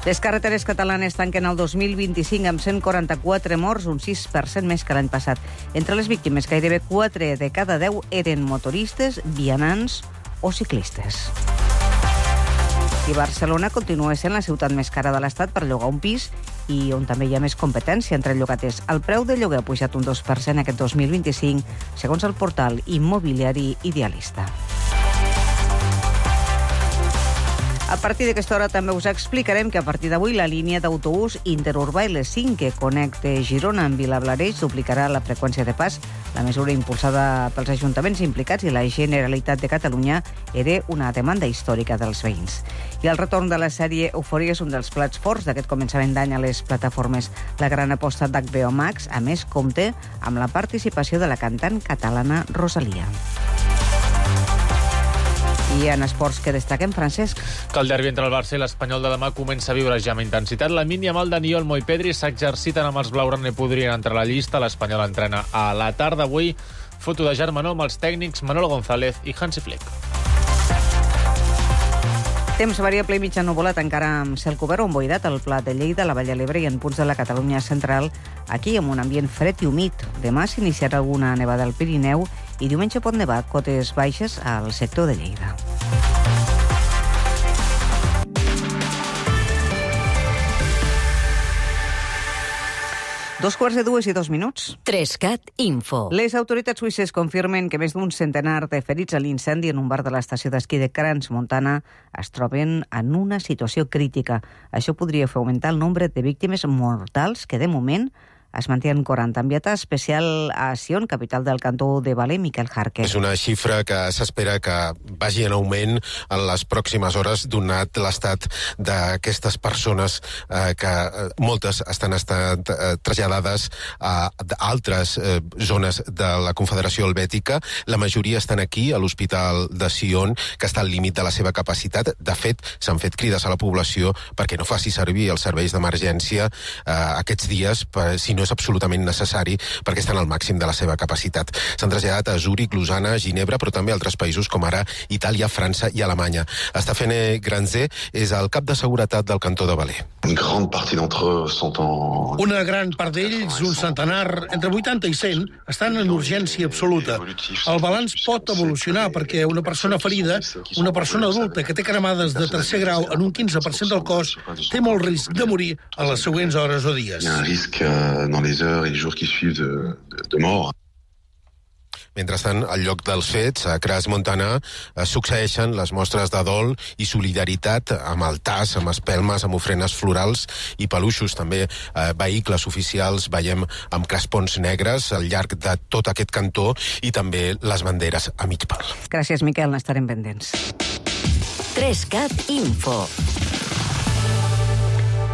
Les carreteres catalanes tanquen el dos mil vint-i-cinc amb cent quaranta-quatre morts, un sis per cent més que l'any passat. Entre les víctimes, gairebé quatre de cada deu eren motoristes, vianants o ciclistes. I Barcelona continua sent la ciutat més cara de l'Estat per llogar un pis i on també hi ha més competència entre llogaters. El preu de lloguer ha pujat un dos per cent aquest dos mil vint-i-cinc, segons el portal immobiliari Idealista. A partir d'aquesta hora també us explicarem que a partir d'avui la línia d'autobús interurbà L cinc que connecta Girona amb Vilablareix duplicarà la freqüència de pas. La mesura impulsada pels ajuntaments implicats i la Generalitat de Catalunya era una demanda històrica dels veïns. I el retorn de la sèrie Eufòria és un dels plats forts d'aquest començament d'any a les plataformes. La gran aposta d'H B O Max, a més, compta amb la participació de la cantant catalana Rosalia. I en esports que destaquem, Francesc? Que el derbi entre el Barça i l'Espanyol de demà comença a viure ja amb intensitat. La Mínia Mal, Dani Olmo i Pedri s'exerciten amb els blaugrana i podrien entrar a la llista. L'Espanyol entrena a la tarda avui. Foto de germanor amb els tècnics Manolo González i Hansi Flick. Temps variable i mitja nuvolat, encara amb cel cobert o emboirat al Pla de Lleida, la Vall de l'Ebre i en punts de la Catalunya central, aquí amb un ambient fred i humit. Demà s'iniciarà alguna nevada al Pirineu i diumenge pot nevar cotes baixes al sector de Lleida. Dos quarts de dues i dos minuts. Trescat Info. Les autoritats suïsses confirmen que més d'un centenar de ferits a l'incendi en un bar de l'estació d'esquí de Crans-Montana es troben en una situació crítica. Això podria fer augmentar el nombre de víctimes mortals que, de moment, es manté en quaranta. Enviat especial a Sion, capital del cantó de Valais, Miquel Jarque. És una xifra que s'espera que vagi en augment en les pròximes hores, donat l'estat d'aquestes persones eh, que eh, moltes estan estat eh, traslladades a altres eh, zones de la Confederació Helvètica. La majoria estan aquí, a l'Hospital de Sion, que està al límit de la seva capacitat. De fet, s'han fet crides a la població perquè no faci servir els serveis d'emergència eh, aquests dies, per, si no és absolutament necessari, perquè estan al màxim de la seva capacitat. S'han traslladat a Zúrich, Lausana, Ginebra, però també a altres països com ara Itàlia, França i Alemanya. Stéphane Granzé és el cap de seguretat del cantó de Valais. Una gran part d'ells, un centenar, entre vuitanta i cent, estan en urgència absoluta. El balanç pot evolucionar perquè una persona ferida, una persona adulta que té cremades de tercer grau en un quinze per cent del cos, té molt risc de morir a les següents hores o dies. Dans les heures et les jours qui suivent de, de, de mort. Mentrestant, al lloc dels fets, a Crans-Montana, succeeixen les mostres de dol i solidaritat amb el tas, amb espelmes, amb ofrenes florals i peluixos. També eh, vehicles oficials veiem amb crespons negres al llarg de tot aquest cantó i també les banderes a mig pal. Gràcies, Miquel, n'estarem pendents. Trescat Info.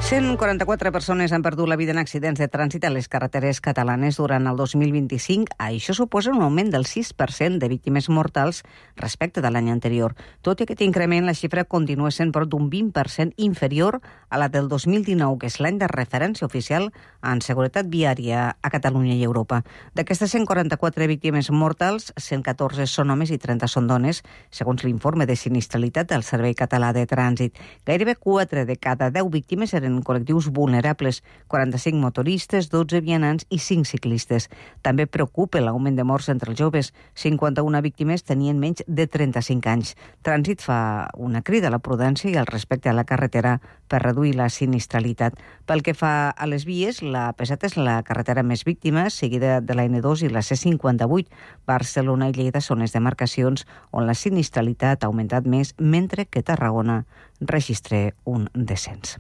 cent quaranta-quatre persones han perdut la vida en accidents de trànsit a les carreteres catalanes durant el dos mil vint-i-cinc. Això suposa un augment del sis per cent de víctimes mortals respecte de l'any anterior. Tot i aquest increment, la xifra continua sent prop d'un vint per cent inferior a la del dos mil dinou, que és l'any de referència oficial en seguretat viària a Catalunya i Europa. D'aquestes cent quaranta-quatre víctimes mortals, cent catorze són homes i trenta són dones, segons l'informe de sinistralitat del Servei Català de Trànsit. Gairebé quatre de cada deu víctimes eren col·lectius vulnerables, quaranta-cinc motoristes, dotze vianants i cinc ciclistes. També preocupa l'augment de morts entre els joves. cinquanta-una víctimes tenien menys de trenta-cinc anys. Trànsit fa una crida a la prudència i al respecte a la carretera per reduir la sinistralitat. Pel que fa a les vies, la P set és la carretera més víctima, seguida de la N dos i la C cinquanta-vuit. Barcelona i Lleida són les demarcacions on la sinistralitat ha augmentat més, mentre que Tarragona registra un descens.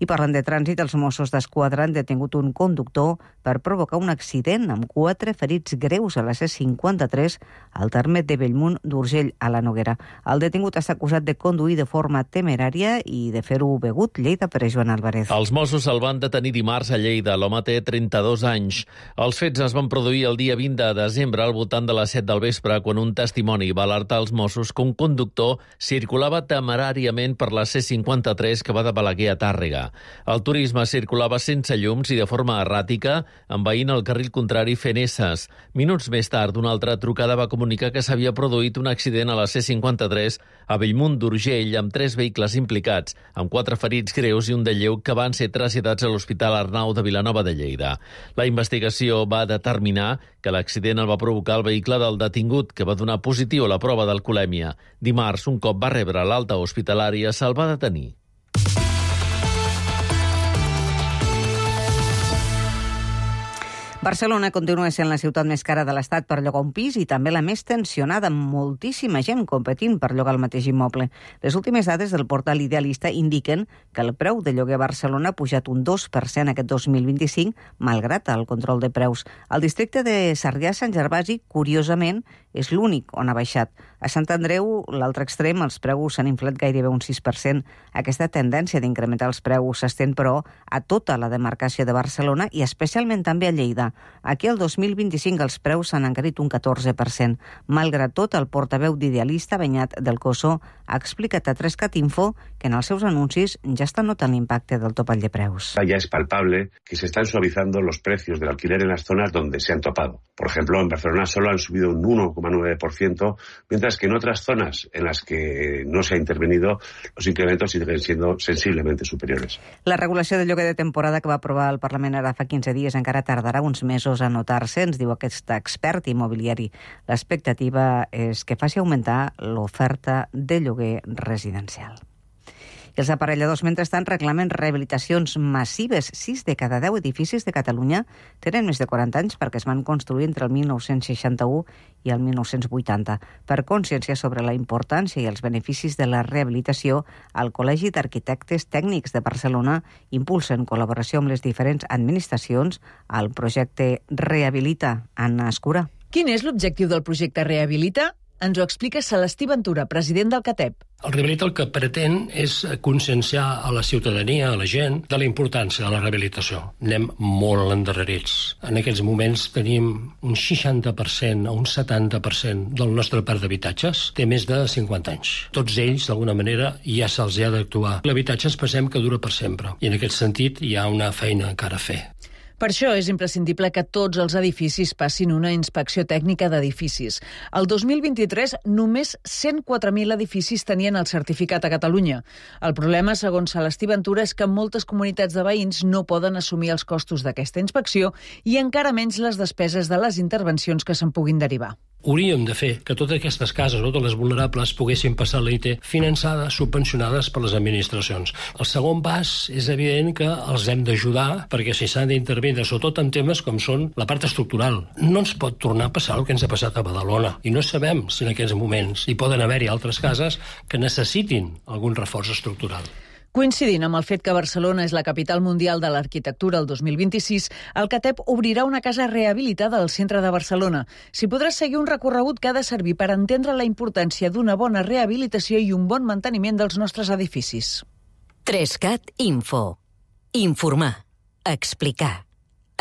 I parlant de trànsit, els Mossos d'Esquadra han detingut un conductor per provocar un accident amb quatre ferits greus a la C cinquanta-tres al terme de Bellmunt d'Urgell, a la Noguera. El detingut està acusat de conduir de forma temerària i de fer-ho begut. Lleida per Joan Álvarez. Els Mossos el van detenir dimarts a Lleida. L'home té trenta-dos anys. Els fets es van produir el dia vint de desembre al voltant de les set del vespre, quan un testimoni va alertar els Mossos que un conductor circulava temeràriament per la C cinquanta-tres que va de Balaguer a Tàrrega. El turisme circulava sense llums i de forma erràtica, envaint el carril contrari fent esses. Minuts més tard, una altra trucada va comunicar que s'havia produït un accident a la C cinquanta-tres a Bellmunt d'Urgell amb tres vehicles implicats, amb quatre ferits greus i un de lleu que van ser traslladats a l'Hospital Arnau de Vilanova de Lleida. La investigació va determinar que l'accident el va provocar el vehicle del detingut, que va donar positiu a la prova d'alcoholèmia. Dimarts, un cop va rebre l'alta hospitalària, se'l va detenir. Barcelona continua sent la ciutat més cara de l'Estat per llogar un pis i també la més tensionada, amb moltíssima gent competint per llogar el mateix immoble. Les últimes dades del portal Idealista indiquen que el preu de lloguer a Barcelona ha pujat un dos per cent aquest dos mil vint-i-cinc, malgrat el control de preus. El districte de Sarrià-Sant Gervasi, curiosament, és l'únic on ha baixat. A Sant Andreu, l'altre extrem, els preus s'han inflat gairebé un sis per cent. Aquesta tendència d'incrementar els preus s'estén, però, a tota la demarcació de Barcelona i especialment també a Lleida. Aquí el dos mil vint-i-cinc els preus s'han encarit un catorze per cent. Malgrat tot, el portaveu d'Idealista, Beñat del Coso, ha explicat a Trescat Info que en els seus anuncis ja està notant l'impacte del topall de preus. Ya es palpable que se están suavizando los precios del alquiler en las zonas donde se han topado. Por ejemplo, en Barcelona solo han subido un uno coma nueve por ciento, mientras que en otras zonas en las que no se ha intervenido, los incrementos siguen siendo sensiblemente superiores. La regulació de lloguer de temporada que va aprovar el Parlament ara fa quinze dies encara tardarà uns mesos a notar-se, ens diu aquest expert immobiliari. L'expectativa és que faci augmentar l'oferta de lloguer residencial. I els aparelladors, mentrestant, reclamen rehabilitacions massives. Sis de cada deu edificis de Catalunya tenen més de quaranta anys perquè es van construir entre el mil nou-cents seixanta-u i el mil nou-cents vuitanta. Per consciència sobre la importància i els beneficis de la rehabilitació, el Col·legi d'Arquitectes Tècnics de Barcelona impulsa en col·laboració amb les diferents administracions el projecte Rehabilita. Anna Escura. Quin és l'objectiu del projecte Rehabilita? Ens ho explica Celestí Ventura, president del CATEP. El Rehabilita el que pretén és conscienciar a la ciutadania, a la gent, de la importància de la rehabilitació. Anem molt endarrerits. En aquests moments tenim un seixanta per cent o un setanta per cent del nostre parc d'habitatges té més de cinquanta anys. Tots ells, d'alguna manera, ja se'ls ha d'actuar. L'habitatge ens pensem que dura per sempre. I en aquest sentit hi ha una feina encara a fer. Per això és imprescindible que tots els edificis passin una inspecció tècnica d'edificis. El dos mil vint-i-tres, només cent quatre mil edificis tenien el certificat a Catalunya. El problema, segons Celestí Ventura, és que moltes comunitats de veïns no poden assumir els costos d'aquesta inspecció i encara menys les despeses de les intervencions que se'n puguin derivar. Hauríem de fer que totes aquestes cases, totes les vulnerables, poguessin passar a l'I T finançades, subvencionades per les administracions. El segon pas és evident que els hem d'ajudar perquè si s'han d'intervenir, sobretot en temes com són la part estructural. No ens pot tornar a passar el que ens ha passat a Badalona i no sabem si en aquests moments hi poden haver-hi altres cases que necessitin algun reforç estructural. Coincidint amb el fet que Barcelona és la capital mundial de l'arquitectura el dos mil vint-i-sis, el CATEP obrirà una casa rehabilitada al centre de Barcelona. S'hi podrà seguir un recorregut que ha de servir per entendre la importància d'una bona rehabilitació i un bon manteniment dels nostres edificis. tres cat Info. Informar. Explicar.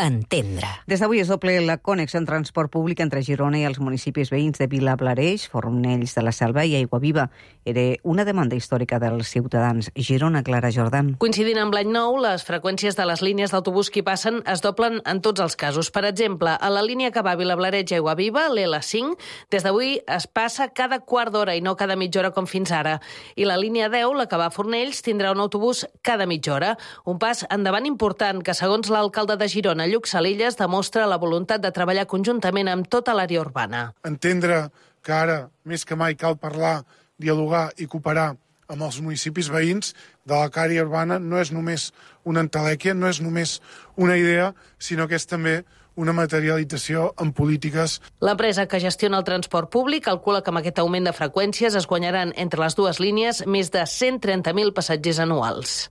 Entendre. Des d'avui es doble la connexió en transport públic entre Girona i els municipis veïns de Vilablareix, Fornells de la Selva i Aiguaviva. Era una demanda històrica dels ciutadans. Girona, Clara Jordan. Coincidint amb l'any nou, les freqüències de les línies d'autobús que hi passen es doblen en tots els casos. Per exemple, a la línia que va a Vilablareix i Aiguaviva, l'L cinc, des d'avui es passa cada quart d'hora i no cada mitja hora com fins ara. I la línia deu, la que va a Fornells, tindrà un autobús cada mitja hora. Un pas endavant important que, segons l'alcalde de Girona, Lluc Salillas, demostra la voluntat de treballar conjuntament amb tota l'àrea urbana. Entendre que ara, més que mai, cal parlar, dialogar i cooperar amb els municipis veïns de la àrea urbana no és només una entelèquia, no és només una idea, sinó que és també una materialització en polítiques. L'empresa que gestiona el transport públic calcula que amb aquest augment de freqüències es guanyaran entre les dues línies més de cent trenta mil passatgers anuals.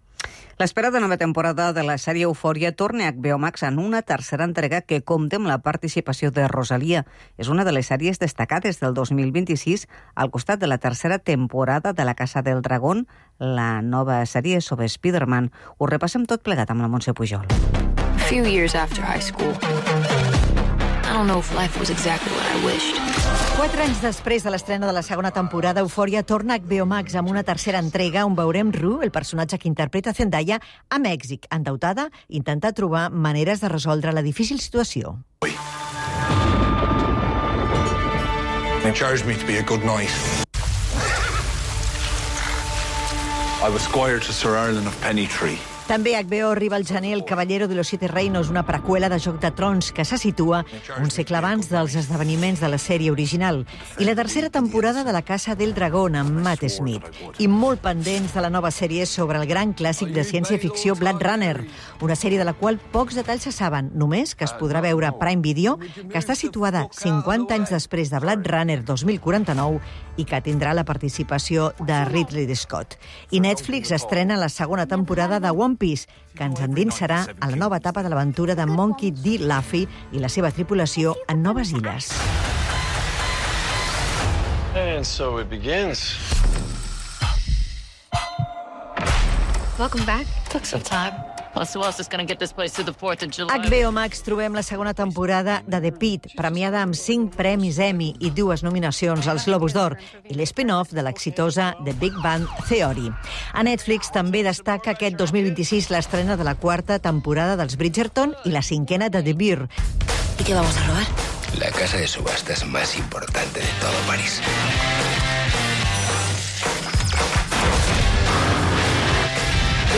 L'esperada nova temporada de la sèrie Eufòria torna a H B O Max en una tercera entrega que compta amb la participació de Rosalia. És una de les sèries destacades del dos mil vint-i-sis al costat de la tercera temporada de La Casa del Dragón, la nova sèrie sobre Spider-Man. Ho repassem tot plegat amb la Montse Pujol. A few years after high school, I don't know if life was exactly what I wished. Quatre anys després de l'estrena de la segona temporada, Eufòria torna a H B O Max amb una tercera entrega on veurem Rue, el personatge que interpreta Zendaya, a Mèxic, endeutada, intentar trobar maneres de resoldre la difícil situació. They charged me to be a good knight. I was squire to Sir Ireland of Pennytree. També a H B O arriba el gener El Caballero de los Siete Reinos, una preqüela de Joc de Trons que se situa un segle abans dels esdeveniments de la sèrie original. I la tercera temporada de La Casa del Dragón amb Matt Smith. I molt pendents de la nova sèrie sobre el gran clàssic de ciència-ficció Blade Runner, una sèrie de la qual pocs detalls se saben, només que es podrà veure a Prime Video, que està situada cinquanta anys després de Blade Runner dos mil quaranta-nou i que tindrà la participació de Ridley Scott. I Netflix estrena la segona temporada de One Piece, que ens endinsarà a la nova etapa de l'aventura de Monkey D. Luffy i la seva tripulació en noves illes. And so it begins. Welcome back. Took some time. Plus, who else is going to get this place to the fourth of July? A H B O Max trobem la segona temporada de The Pitt, premiada amb cinc premis Emmy i dues nominacions als Globus d'Or, i l'espin-off de l'exitosa The Big Bang Theory. A Netflix també destaca aquest dos mil vint-i-sis l'estrena de la quarta temporada dels Bridgerton i la cinquena de The Bear. ¿Y qué vamos a robar? La casa de subastas más importante de todo París.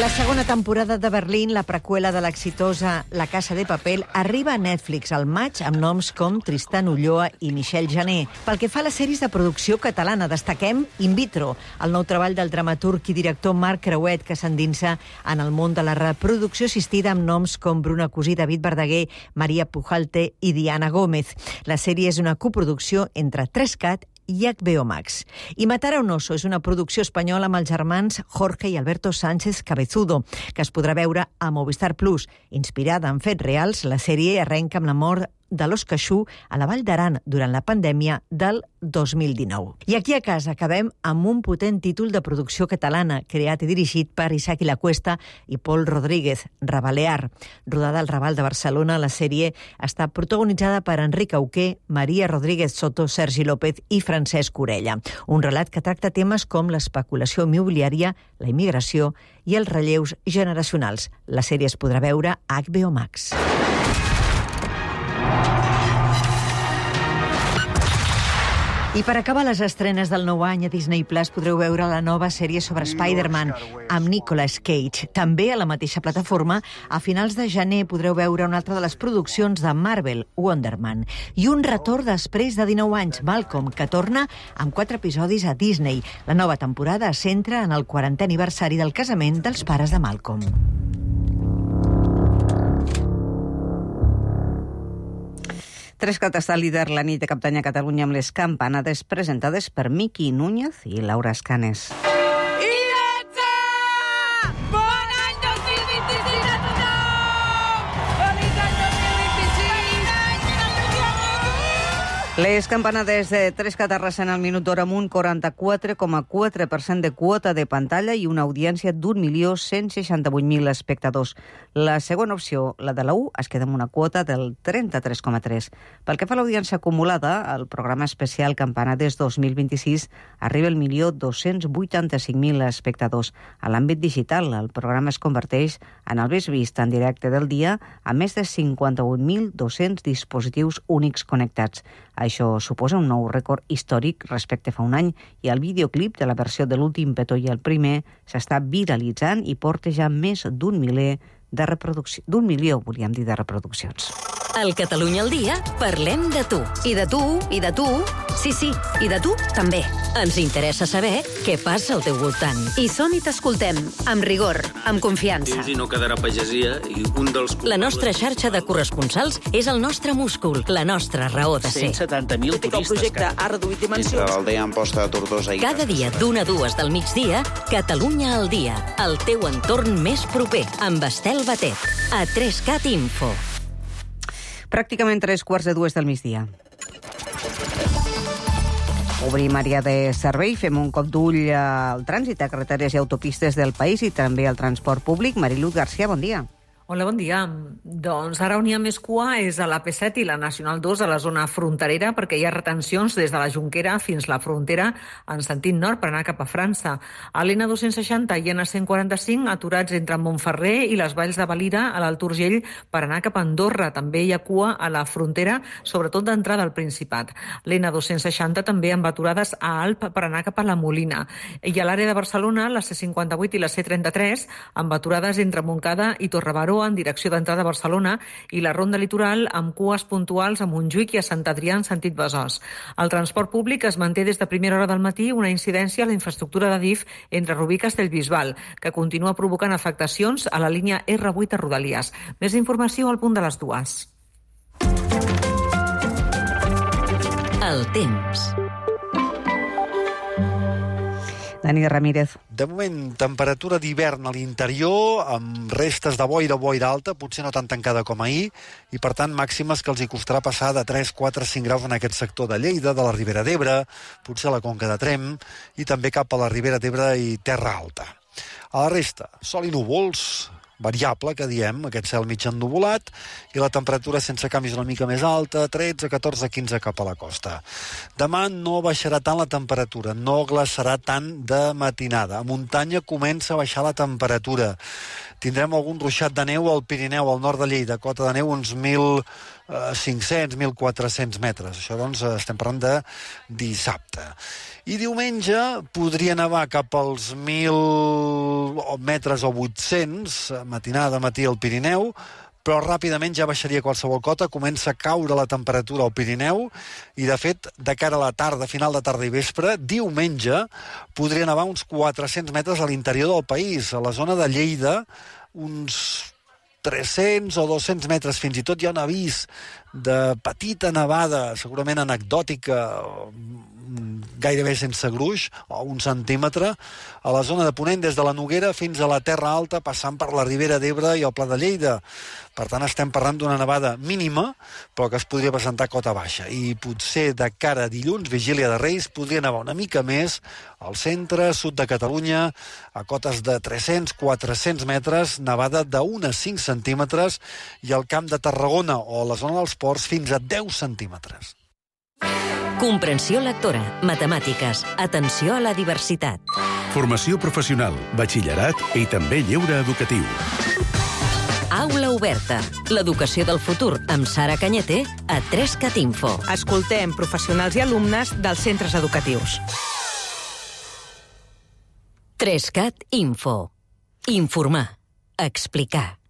La segona temporada de Berlín, la preqüela de l'exitosa La Casa de Papel, arriba a Netflix al maig amb noms com Tristan Ulloa i Michel Jané. Pel que fa a les sèries de producció catalana, destaquem In Vitro, el nou treball del dramaturg i director Marc Creuet, que s'endinsa en el món de la reproducció assistida amb noms com Bruna Cusí, David Verdaguer, Maria Pujalte i Diana Gómez. La sèrie és una coproducció entre tres cat i H B O Max. I Matar a un oso és una producció espanyola amb els germans Jorge i Alberto Sánchez Cabezudo, que es podrà veure a Movistar Plus. Inspirada en fets reals, la sèrie arrenca amb la mort de l'os caixú a la Vall d'Aran durant la pandèmia del dos mil dinou. I aquí a casa acabem amb un potent títol de producció catalana, creat i dirigit per Isaac i la Cuesta i Pol Rodríguez, Rabalear. Rodada al Raval de Barcelona, la sèrie està protagonitzada per Enric Auqué, Maria Rodríguez Soto, Sergi López i Francesc Orella. Un relat que tracta temes com l'especulació immobiliària, la immigració i els relleus generacionals. La sèrie es podrà veure a H B O Max. I per acabar les estrenes del nou any a Disney Plus podreu veure la nova sèrie sobre Spider-Man amb Nicolas Cage. També a la mateixa plataforma, a finals de gener podreu veure una altra de les produccions de Marvel, Wonder Man. I un retorn després de dinou anys, Malcolm, que torna amb quatre episodis a Disney. La nova temporada es centra en el quarantè aniversari del casament dels pares de Malcolm. Trescat està líder la nit de cap d'any a Catalunya amb les campanades presentades per Miqui Núñez i Laura Escanes. Bon any dos mil vint-i-sis a tothom! Feliç any dos mil vint-i-sis! Les campanades de Trescat arrasen al minut d'hora amb un quaranta-quatre coma quatre per cent de quota de pantalla i una audiència d'un milió cent seixanta-vuit mil espectadors. La segona opció, la de la U, es queda amb una quota del trenta-tres coma tres. Pel que fa a l'audiència acumulada, el programa especial Campanades dos mil vint-i-sis arriba al milió dos-cents vuitanta-cinc mil espectadors. A l'àmbit digital, el programa es converteix en el més vist en directe del dia a més de cinquanta-un mil dos-cents dispositius únics connectats. Això suposa un nou rècord històric respecte a fa un any i el videoclip de la versió de l'últim petó i el primer s'està viralitzant i porta ja més d'un miler de reproduccions. D'un milió, volíem dir, de reproduccions. Al Catalunya al dia parlem de tu. I de tu, i de tu. Sí, sí, i de tu també. Ens interessa saber què passa al teu voltant. I som i t'escoltem, amb rigor, amb confiança. I no quedarà pagesia i un dels... La nostra xarxa de corresponsals és el nostre múscul, la nostra raó de ser. cent setanta mil turistes. El projecte ha reduït dimensions. Entre l'aldea Amposta de Tortosa i... Cada dia d'una a dues del migdia, Catalunya al dia, el teu entorn més proper, amb Estel Batet, a Trescat Info. Pràcticament tres quarts de dues del migdia. Obrim àrea de servei, fem un cop d'ull al trànsit a carreteres i autopistes del país i també al transport públic. Mariluz García, bon dia. Hola, bon dia. Doncs ara on hi ha més cua és a l'A P set i la Nacional dos a la zona fronterera perquè hi ha retencions des de la Jonquera fins la frontera en sentit nord per anar cap a França. A l'N dos-cents seixanta i N cent quaranta-cinc aturats entre Montferrer i les Valls de Valira a l'Alt Urgell per anar cap a Andorra. També hi ha cua a la frontera, sobretot d'entrada al Principat. L'N dos-cents seixanta també amb aturades a Alp per anar cap a la Molina. I a l'àrea de Barcelona, la C cinquanta-vuit i la C trenta-tres amb aturades entre Montcada i Torrebaró en direcció d'entrada a Barcelona i la ronda litoral amb cues puntuals a Montjuïc i a Sant Adrià en sentit Besòs. El transport públic es manté des de primera hora del matí una incidència a la infraestructura de D I F entre Rubí i Castellbisbal, que continua provocant afectacions a la línia R vuit a Rodalies. Més informació al punt de les dues. El temps. Dani Ramírez. De moment, temperatura d'hivern a l'interior, amb restes de boira o boira alta, potser no tan tancada com ahir, i per tant màximes que els hi costarà passar de tres, quatre, cinc graus en aquest sector de Lleida, de la Ribera d'Ebre, potser a la Conca de Tremp, i també cap a la Ribera d'Ebre i Terra Alta. A la resta, sol i núvols, variable, que diem, aquest cel mig ennuvolat, i la temperatura sense canvis una mica més alta, tretze, catorze, quinze cap a la costa. Demà no baixarà tant la temperatura, no glaçarà tant de matinada. A muntanya comença a baixar la temperatura. Tindrem algun ruixat de neu al Pirineu, al nord de Lleida, cota de neu uns mil cinc-cents, mil quatre-cents metres. Això, doncs, estem parlant de dissabte. I diumenge podria nevar cap als mil metres o vuit-cents, matinada, matí al Pirineu, però ràpidament ja baixaria qualsevol cota, comença a caure la temperatura al Pirineu i, de fet, de cara a la tarda, final de tarda i vespre, diumenge podria nevar uns quatre-cents metres a l'interior del país, a la zona de Lleida, uns tres-cents o dos-cents metres, fins i tot hi ha un avís de petita nevada, segurament anecdòtica, gairebé sense gruix, o un centímetre, a la zona de Ponent, des de la Noguera fins a la Terra Alta, passant per la Ribera d'Ebre i el Pla de Lleida. Per tant, estem parlant d'una nevada mínima, però que es podria presentar a cota baixa. I potser de cara a dilluns, vigília de Reis, podria nevar una mica més al centre, sud de Catalunya, a cotes de tres-cents, quatre-cents metres, nevada d'un a cinc centímetres, i al Camp de Tarragona o a la zona dels Ports fins a deu centímetres. Comprensió lectora, matemàtiques, atenció a la diversitat. Formació professional, batxillerat i també lleure educatiu. A Aula oberta. L'educació del futur amb Sara Cañete a tres cat info. Escoltem professionals i alumnes dels centres educatius. tres cat info. Informar. Explicar.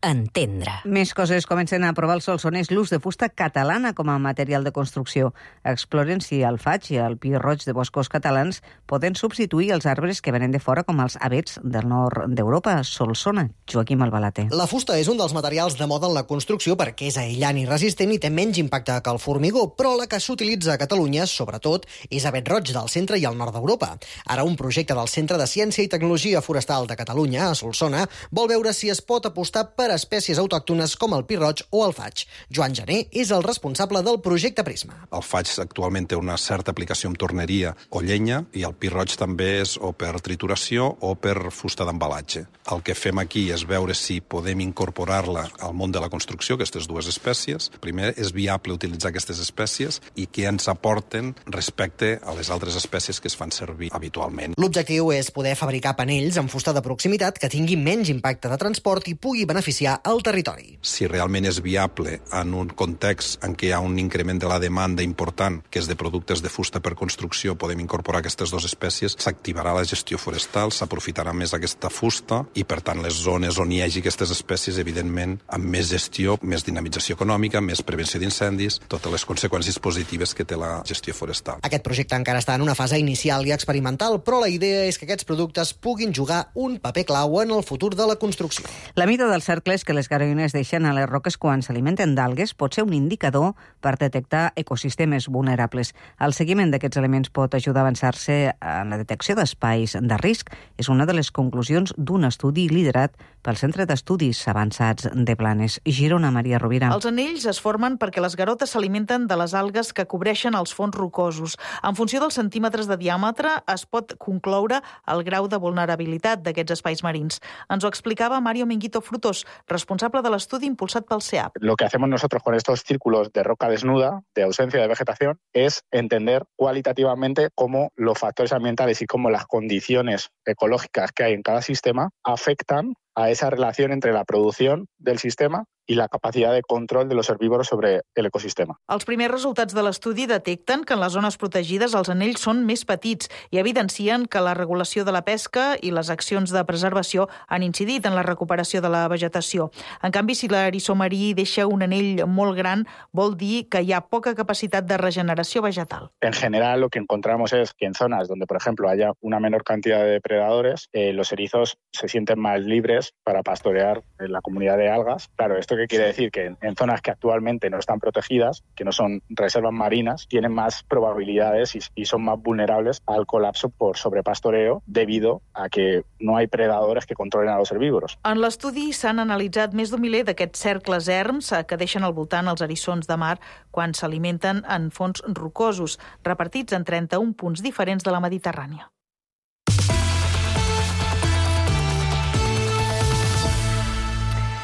Entendre. Més coses. Comencen a aprovar els solsonès l'ús de fusta catalana com a material de construcció. Exploren si el faig i el pi roig de boscos catalans poden substituir els arbres que venen de fora, com els avets del nord d'Europa. Solsona, Joaquim Albalate. La fusta és un dels materials de moda en la construcció perquè és aïllant i resistent i té menys impacte que el formigó, però la que s'utilitza a Catalunya, sobretot, és avet roig del centre i el nord d'Europa. Ara un projecte del Centre de Ciència i Tecnologia Forestal de Catalunya, a Solsona, vol veure si es pot apostar per espècies autòctones com el pi roig o el faig. Joan Jané és el responsable del projecte Prisma. El faig actualment té una certa aplicació en torneria o llenya i el pi roig també és o per trituració o per fusta d'embalatge. El que fem aquí és veure si podem incorporar-la al món de la construcció, aquestes dues espècies. Primer, és viable utilitzar aquestes espècies i què ens aporten respecte a les altres espècies que es fan servir habitualment. L'objectiu és poder fabricar panells amb fusta de proximitat que tingui menys impacte de transport i pugui beneficiar al territori. Si realment és viable en un context en què hi ha un increment de la demanda important, que és de productes de fusta per construcció, podem incorporar aquestes dues espècies, s'activarà la gestió forestal, s'aprofitarà més aquesta fusta i, per tant, les zones on hi hagi aquestes espècies, evidentment, amb més gestió, més dinamització econòmica, més prevenció d'incendis, totes les conseqüències positives que té la gestió forestal. Aquest projecte encara està en una fase inicial i experimental, però la idea és que aquests productes puguin jugar un paper clau en el futur de la construcció. La mida del cercle que les garoïnes deixen a les roques quan s'alimenten d'algues pot ser un indicador per detectar ecosistemes vulnerables. El seguiment d'aquests elements pot ajudar a avançar-se en la detecció d'espais de risc. És una de les conclusions d'un estudi liderat pel Centre d'Estudis Avançats de Blanes. Girona, Maria Rovira. Els anells es formen perquè les garotes s'alimenten de les algues que cobreixen els fons rocosos. En funció dels centímetres de diàmetre es pot concloure el grau de vulnerabilitat d'aquests espais marins. Ens ho explicava Mario Minguito Frutos, responsable del estudio impulsado por el S E A P. Lo que hacemos nosotros con estos círculos de roca desnuda, de ausencia de vegetación, es entender cualitativamente cómo los factores ambientales y cómo las condiciones ecológicas que hay en cada sistema afectan a esa relación entre la producción del sistema i la capacitat de control de los herbívoros sobre el ecosistema. Els primers resultats de l'estudi detecten que en les zones protegides els anells són més petits i evidencien que la regulació de la pesca i les accions de preservació han incidit en la recuperació de la vegetació. En canvi, si l'eriçó marí deixa un anell molt gran, vol dir que hi ha poca capacitat de regeneració vegetal. En general, lo que encontramos es que en zonas donde, por ejemplo, haya una menor cantidad de depredadores, eh, los erizos se sienten más libres para pastorear en la comunidad de algas. Claro, esto ¿qué quiere decir? Que en zonas que actualmente no están protegidas, que no son reservas marinas, tienen más probabilidades y, y son más vulnerables al colapso por sobrepastoreo debido a que no hay predadores que controlen a los herbívoros. En l'estudi s'han analitzat més d'un miler d'aquests cercles erms que deixen al voltant els eriçons de mar quan s'alimenten en fons rocosos, repartits en trenta-un punts diferents de la Mediterrània.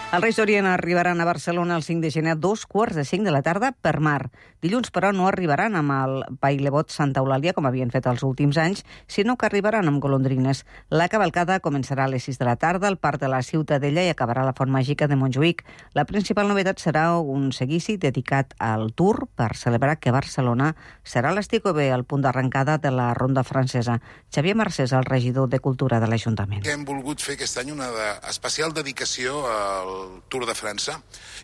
Els Reis d'Orient arribaran a Barcelona el cinc de gener a dos quarts de cinc de la tarda per mar. Dilluns, però, no arribaran amb el Pailebot Santa Eulàlia, com havien fet els últims anys, sinó que arribaran amb golondrines. La cavalcada començarà a les sis de la tarda al Parc de la Ciutadella i acabarà a la Font Màgica de Montjuïc. La principal novetat serà un seguici dedicat al Tour per celebrar que Barcelona serà l'Esticobé, el punt d'arrencada de la ronda francesa. Xavier Marcés, el regidor de Cultura de l'Ajuntament. Hem volgut fer aquest any una de especial dedicació al Tour de França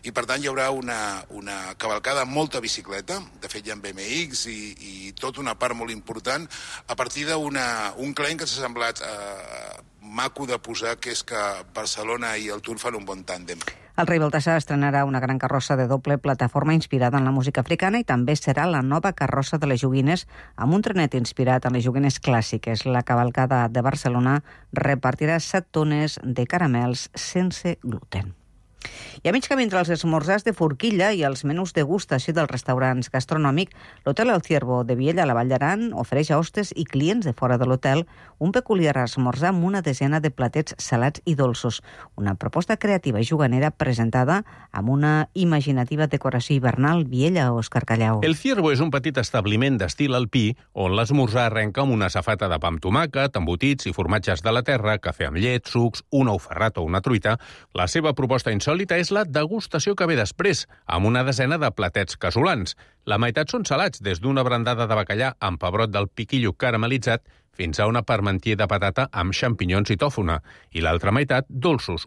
i per tant hi haurà una, una cavalcada amb molta bicicleta, de fet hi ha B M X i, i tota una part molt important a partir d'un claim que s'ha semblat eh, maco de posar, que és que Barcelona i el Tour fan un bon tàndem. El rei Baltasar estrenarà una gran carrossa de doble plataforma inspirada en la música africana i també serà la nova carrossa de les joguines amb un trenet inspirat en les joguines clàssiques. La cavalcada de Barcelona repartirà set tones de caramels sense gluten. I a mig camí entre els esmorzars de forquilla i els menús de degustació dels restaurants gastronòmics, l'Hotel El Ciervo de Viella, a la Vall d'Aran, ofereix a hostes i clients de fora de l'hotel un peculiar esmorzar amb una desena de platets salats i dolços. Una proposta creativa i juganera presentada amb una imaginativa decoració hivernal. Viella, Òscar Callau. El Ciervo és un petit establiment d'estil alpí on l'esmorzar arrenca amb una safata de pa amb tomàquet, embotits i formatges de la terra, cafè amb llet, sucs, un ou ferrat o una truita. La seva proposta insòlita insòlita és la degustació que ve després, amb una desena de platets casolans. La meitat són salats, des d'una brandada de bacallà amb pebrot del piquillo caramelitzat fins a una parmentier de patata amb xampinyons i tòfona, i l'altra meitat dolços.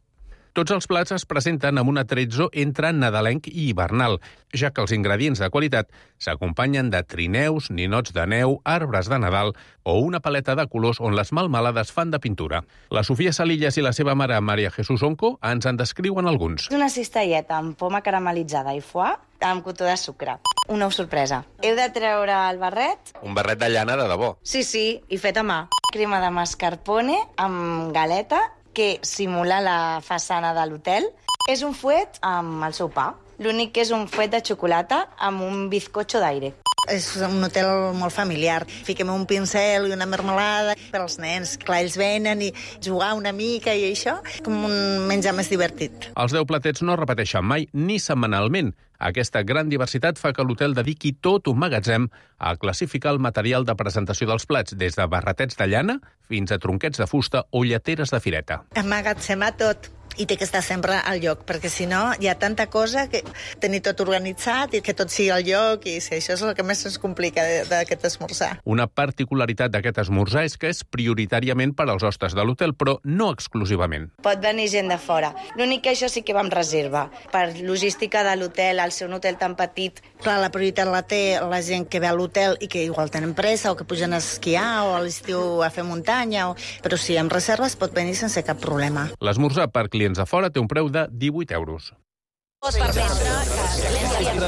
Tots els plats es presenten amb un atrezzo entre nadalenc i hivernal, ja que els ingredients de qualitat s'acompanyen de trineus, ninots de neu, arbres de Nadal o una paleta de colors on les melmelades fan de pintura. La Sofia Salillas i la seva mare, Maria Jesús Onco, ens en descriuen alguns. És una cistelleta amb poma caramelitzada i foie amb cotó de sucre. Una sorpresa. Heu de treure el barret. Un barret de llana de debò. Sí, sí, i fet a mà. Crema de mascarpone amb galeta que simula la façana de l'hotel. És un fuet amb el seu pa. L'únic que és un fuet de xocolata amb un bizcocho d'aire. És un hotel molt familiar. Fiquem un pincel i una marmelada per als nens. Clar, ells venen i jugar una mica i això, com un menjar més divertit. Els deu platets no repeteixen mai ni setmanalment. Aquesta gran diversitat fa que l'hotel dediqui tot un magatzem a classificar el material de presentació dels plats, des de barretets de llana fins a tronquets de fusta o lleteres de fireta. Emmagatzemar tot. I té que estar sempre al lloc, perquè si no hi ha tanta cosa que tenir tot organitzat i que tot sigui al lloc, i si això és el que més ens complica d'aquest esmorzar. Una particularitat d'aquest esmorzar és que és prioritàriament per als hostes de l'hotel, però no exclusivament. Pot venir gent de fora. L'únic que això sí que va amb reserva. Per logística de l'hotel, al ser un hotel tan petit. Clar, la prioritat la té la gent que ve a l'hotel i que igual tenen pressa o que pugen a esquiar o a l'estiu a fer muntanya, o... però si amb reserves pot venir sense cap problema. L'esmorzar per clients de fora té un preu de divuit euros.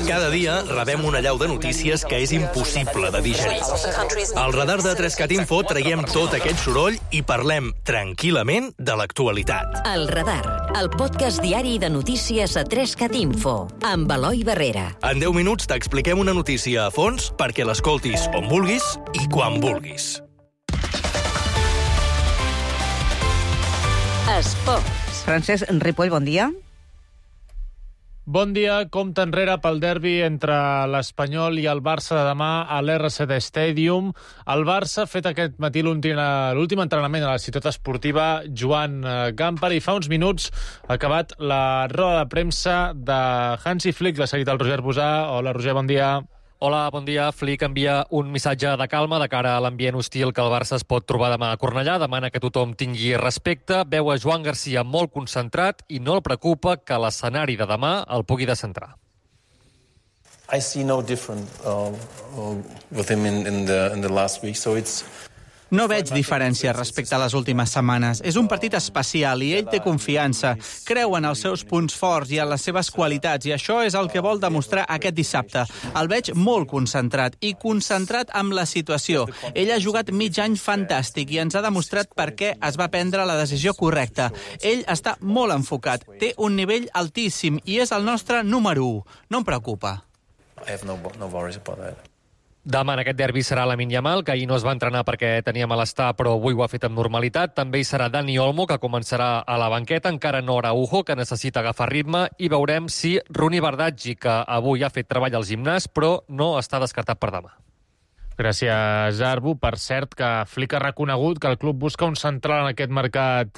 Cada dia rebem una allau de notícies que és impossible de digerir. Al radar de Trescat Info traiem tot aquest soroll i parlem tranquil·lament de l'actualitat. El Radar, el podcast diari de notícies a Trescat Info, amb Eloi Barrera. En deu minuts t'expliquem una notícia a fons perquè l'escoltis on vulguis i quan vulguis. Esports. Francesc Ripoll, bon dia. Bon dia. Compte enrere pel derbi entre l'Espanyol i el Barça de demà a l'R C D Stadium. El Barça ha fet aquest matí l'últim entrenament a la ciutat esportiva Joan Gamper i fa uns minuts ha acabat la roda de premsa de Hansi Flick. L'ha seguit el Roger Bosà. Hola, Roger, bon dia. Hola, bon dia. Flick envia un missatge de calma de cara a l'ambient hostil que el Barça es pot trobar demà a Cornellà. Demana que tothom tingui respecte. Veu a Joan Garcia molt concentrat i no el preocupa que l'escenari de demà el pugui descentrar. I see no different uh, uh, with him in, in, the, in the last week, so it's... No veig diferència respecte a les últimes setmanes. És un partit especial i ell té confiança. Creu en els seus punts forts i en les seves qualitats, i això és el que vol demostrar aquest dissabte. El veig molt concentrat i concentrat amb la situació. Ell ha jugat mig any fantàstic i ens ha demostrat per què es va prendre la decisió correcta. Ell està molt enfocat, té un nivell altíssim i és el nostre número u. No em preocupa. I have no, no worries about that. Demà en aquest derbi serà Lamine Yamal, que ahir no es va entrenar perquè tenia malestar, però avui ho ha fet amb normalitat. També hi serà Dani Olmo, que començarà a la banqueta. Encara no Araujo, que necessita agafar ritme. I veurem si Runi Bardghji, que avui ha fet treball al gimnàs, però no està descartat per demà. Gràcies, Arbu. Per cert, que Flick ha reconegut que el club busca un central en aquest mercat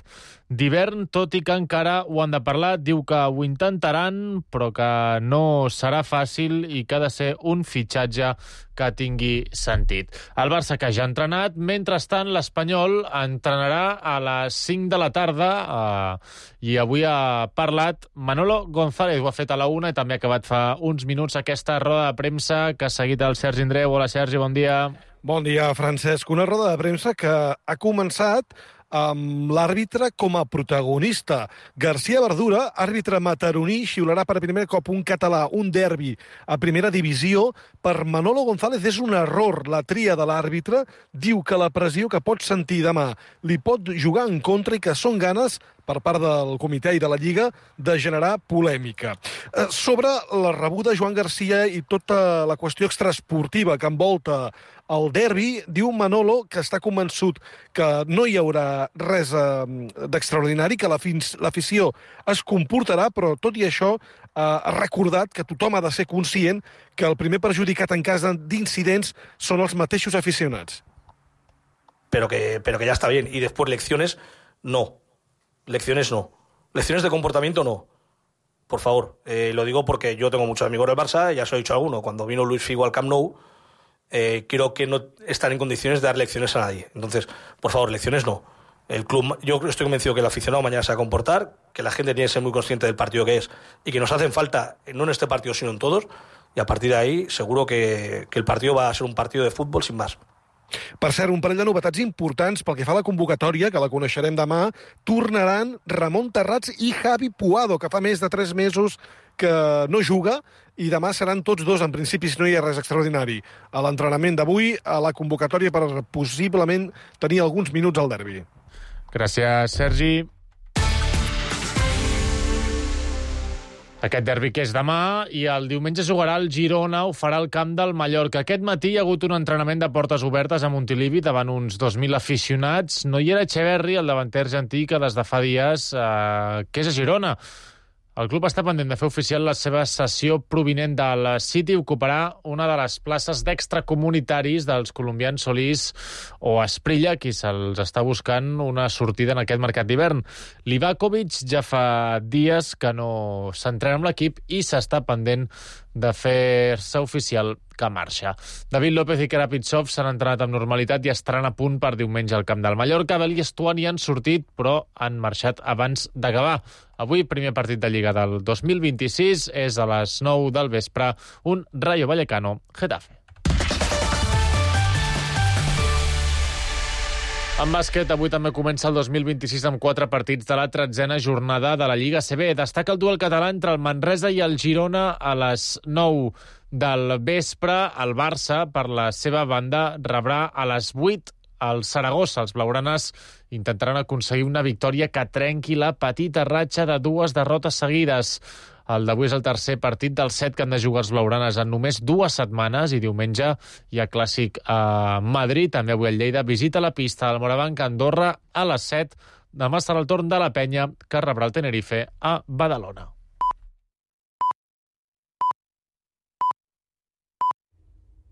d'hivern, tot i que encara ho han de parlar. Diu que ho intentaran, però que no serà fàcil i que ha de ser un fitxatge que tingui sentit. El Barça, que ja ha entrenat. Mentrestant, l'Espanyol entrenarà a les cinc de la tarda eh, i avui ha parlat Manolo González. Ho ha fet a la una i també ha acabat fa uns minuts aquesta roda de premsa que ha seguit el Sergi Andreu. Hola, Sergi, bon dia. Bon dia, Francesc. Una roda de premsa que ha començat amb l'àrbitre com a protagonista. García Verdura, àrbitre mataroní, xiularà per primer cop un català, un derbi a primera divisió. Per Manolo González és un error la tria de l'àrbitre. Diu que la pressió que pot sentir demà li pot jugar en contra i que són ganes per part del comitè i de la Lliga de generar polèmica. Sobre la rebuda Joan Garcia i tota la qüestió extraesportiva que envolta el derbi, diu Manolo que està convençut que no hi haurà res eh, d'extraordinari, que l'afició es comportarà, però tot i això eh, ha recordat que tothom ha de ser conscient que el primer perjudicat en cas d'incidents són els mateixos aficionats. Pero que, pero que ya está bien. Y después lecciones, no. Lecciones no. Lecciones de comportamiento no. por favor. Eh, lo digo porque yo tengo muchos amigos del Barça, ya os he dicho alguno, cuando vino Luis Figo al Camp Nou, eh, creo que no están en condiciones de dar lecciones a nadie. Entonces, por favor, lecciones no. El club, yo estoy convencido que el aficionado mañana se va a comportar, que la gente tiene que ser muy consciente del partido que es y que nos hacen falta, no en este partido, sino en todos, y a partir de ahí seguro que, que el partido va a ser un partido de fútbol sin más. Per cert, un parell de novetats importants pel que fa a la convocatòria, que la coneixerem demà. Tornaran Ramon Terrats i Javi Puado, que fa més de tres mesos que no juga, i demà seran tots dos, en principi, si no hi ha res extraordinari, a l'entrenament d'avui, a la convocatòria per possiblement tenir alguns minuts al derbi. Gràcies, Sergi. Aquest derbi que és demà, i el diumenge jugarà el Girona, ho farà al camp del Mallorca. Aquest matí hi ha hagut un entrenament de portes obertes a Montilivi davant uns dos mil aficionats. No hi era Echeverri, el davanter argentí, que des de fa dies eh, que és a Girona. El club està pendent de fer oficial la seva cessió provinent del City. Ocuparà una de les places d'extracomunitaris dels colombians Solís o Asprilla, qui se'ls està buscant una sortida en aquest mercat d'hivern. Livakovic ja fa dies que no s'entrena amb l'equip i s'està pendent de fer-se oficial que marxa. David López i Karapitsov s'han entrenat amb normalitat i estaran a punt per diumenge al camp del Mallorca. Bel i Estuani han sortit, però han marxat abans d'acabar. Avui, primer partit de Lliga del dos mil vint-i-sis, és a les nou del vespre, un Rayo Vallecano-Getafe. En bàsquet, avui també comença el dos mil vint-i-sis amb quatre partits de la tretzena jornada de la Lliga A C B. Destaca el duel català entre el Manresa i el Girona a les nou del vespre. El Barça, per la seva banda, rebrà a les vuit el Saragossa. Els blaugranes intentaran aconseguir una victòria que trenqui la petita ratxa de dues derrotes seguides. El d'avui és el tercer partit dels set que han de jugar els blaugranes en només dues setmanes, i diumenge hi ha clàssic a Madrid. També avui el Lleida visita la pista del Morabanc a Andorra a les set. Demà serà el torn de la Penya, que rebrà el Tenerife a Badalona.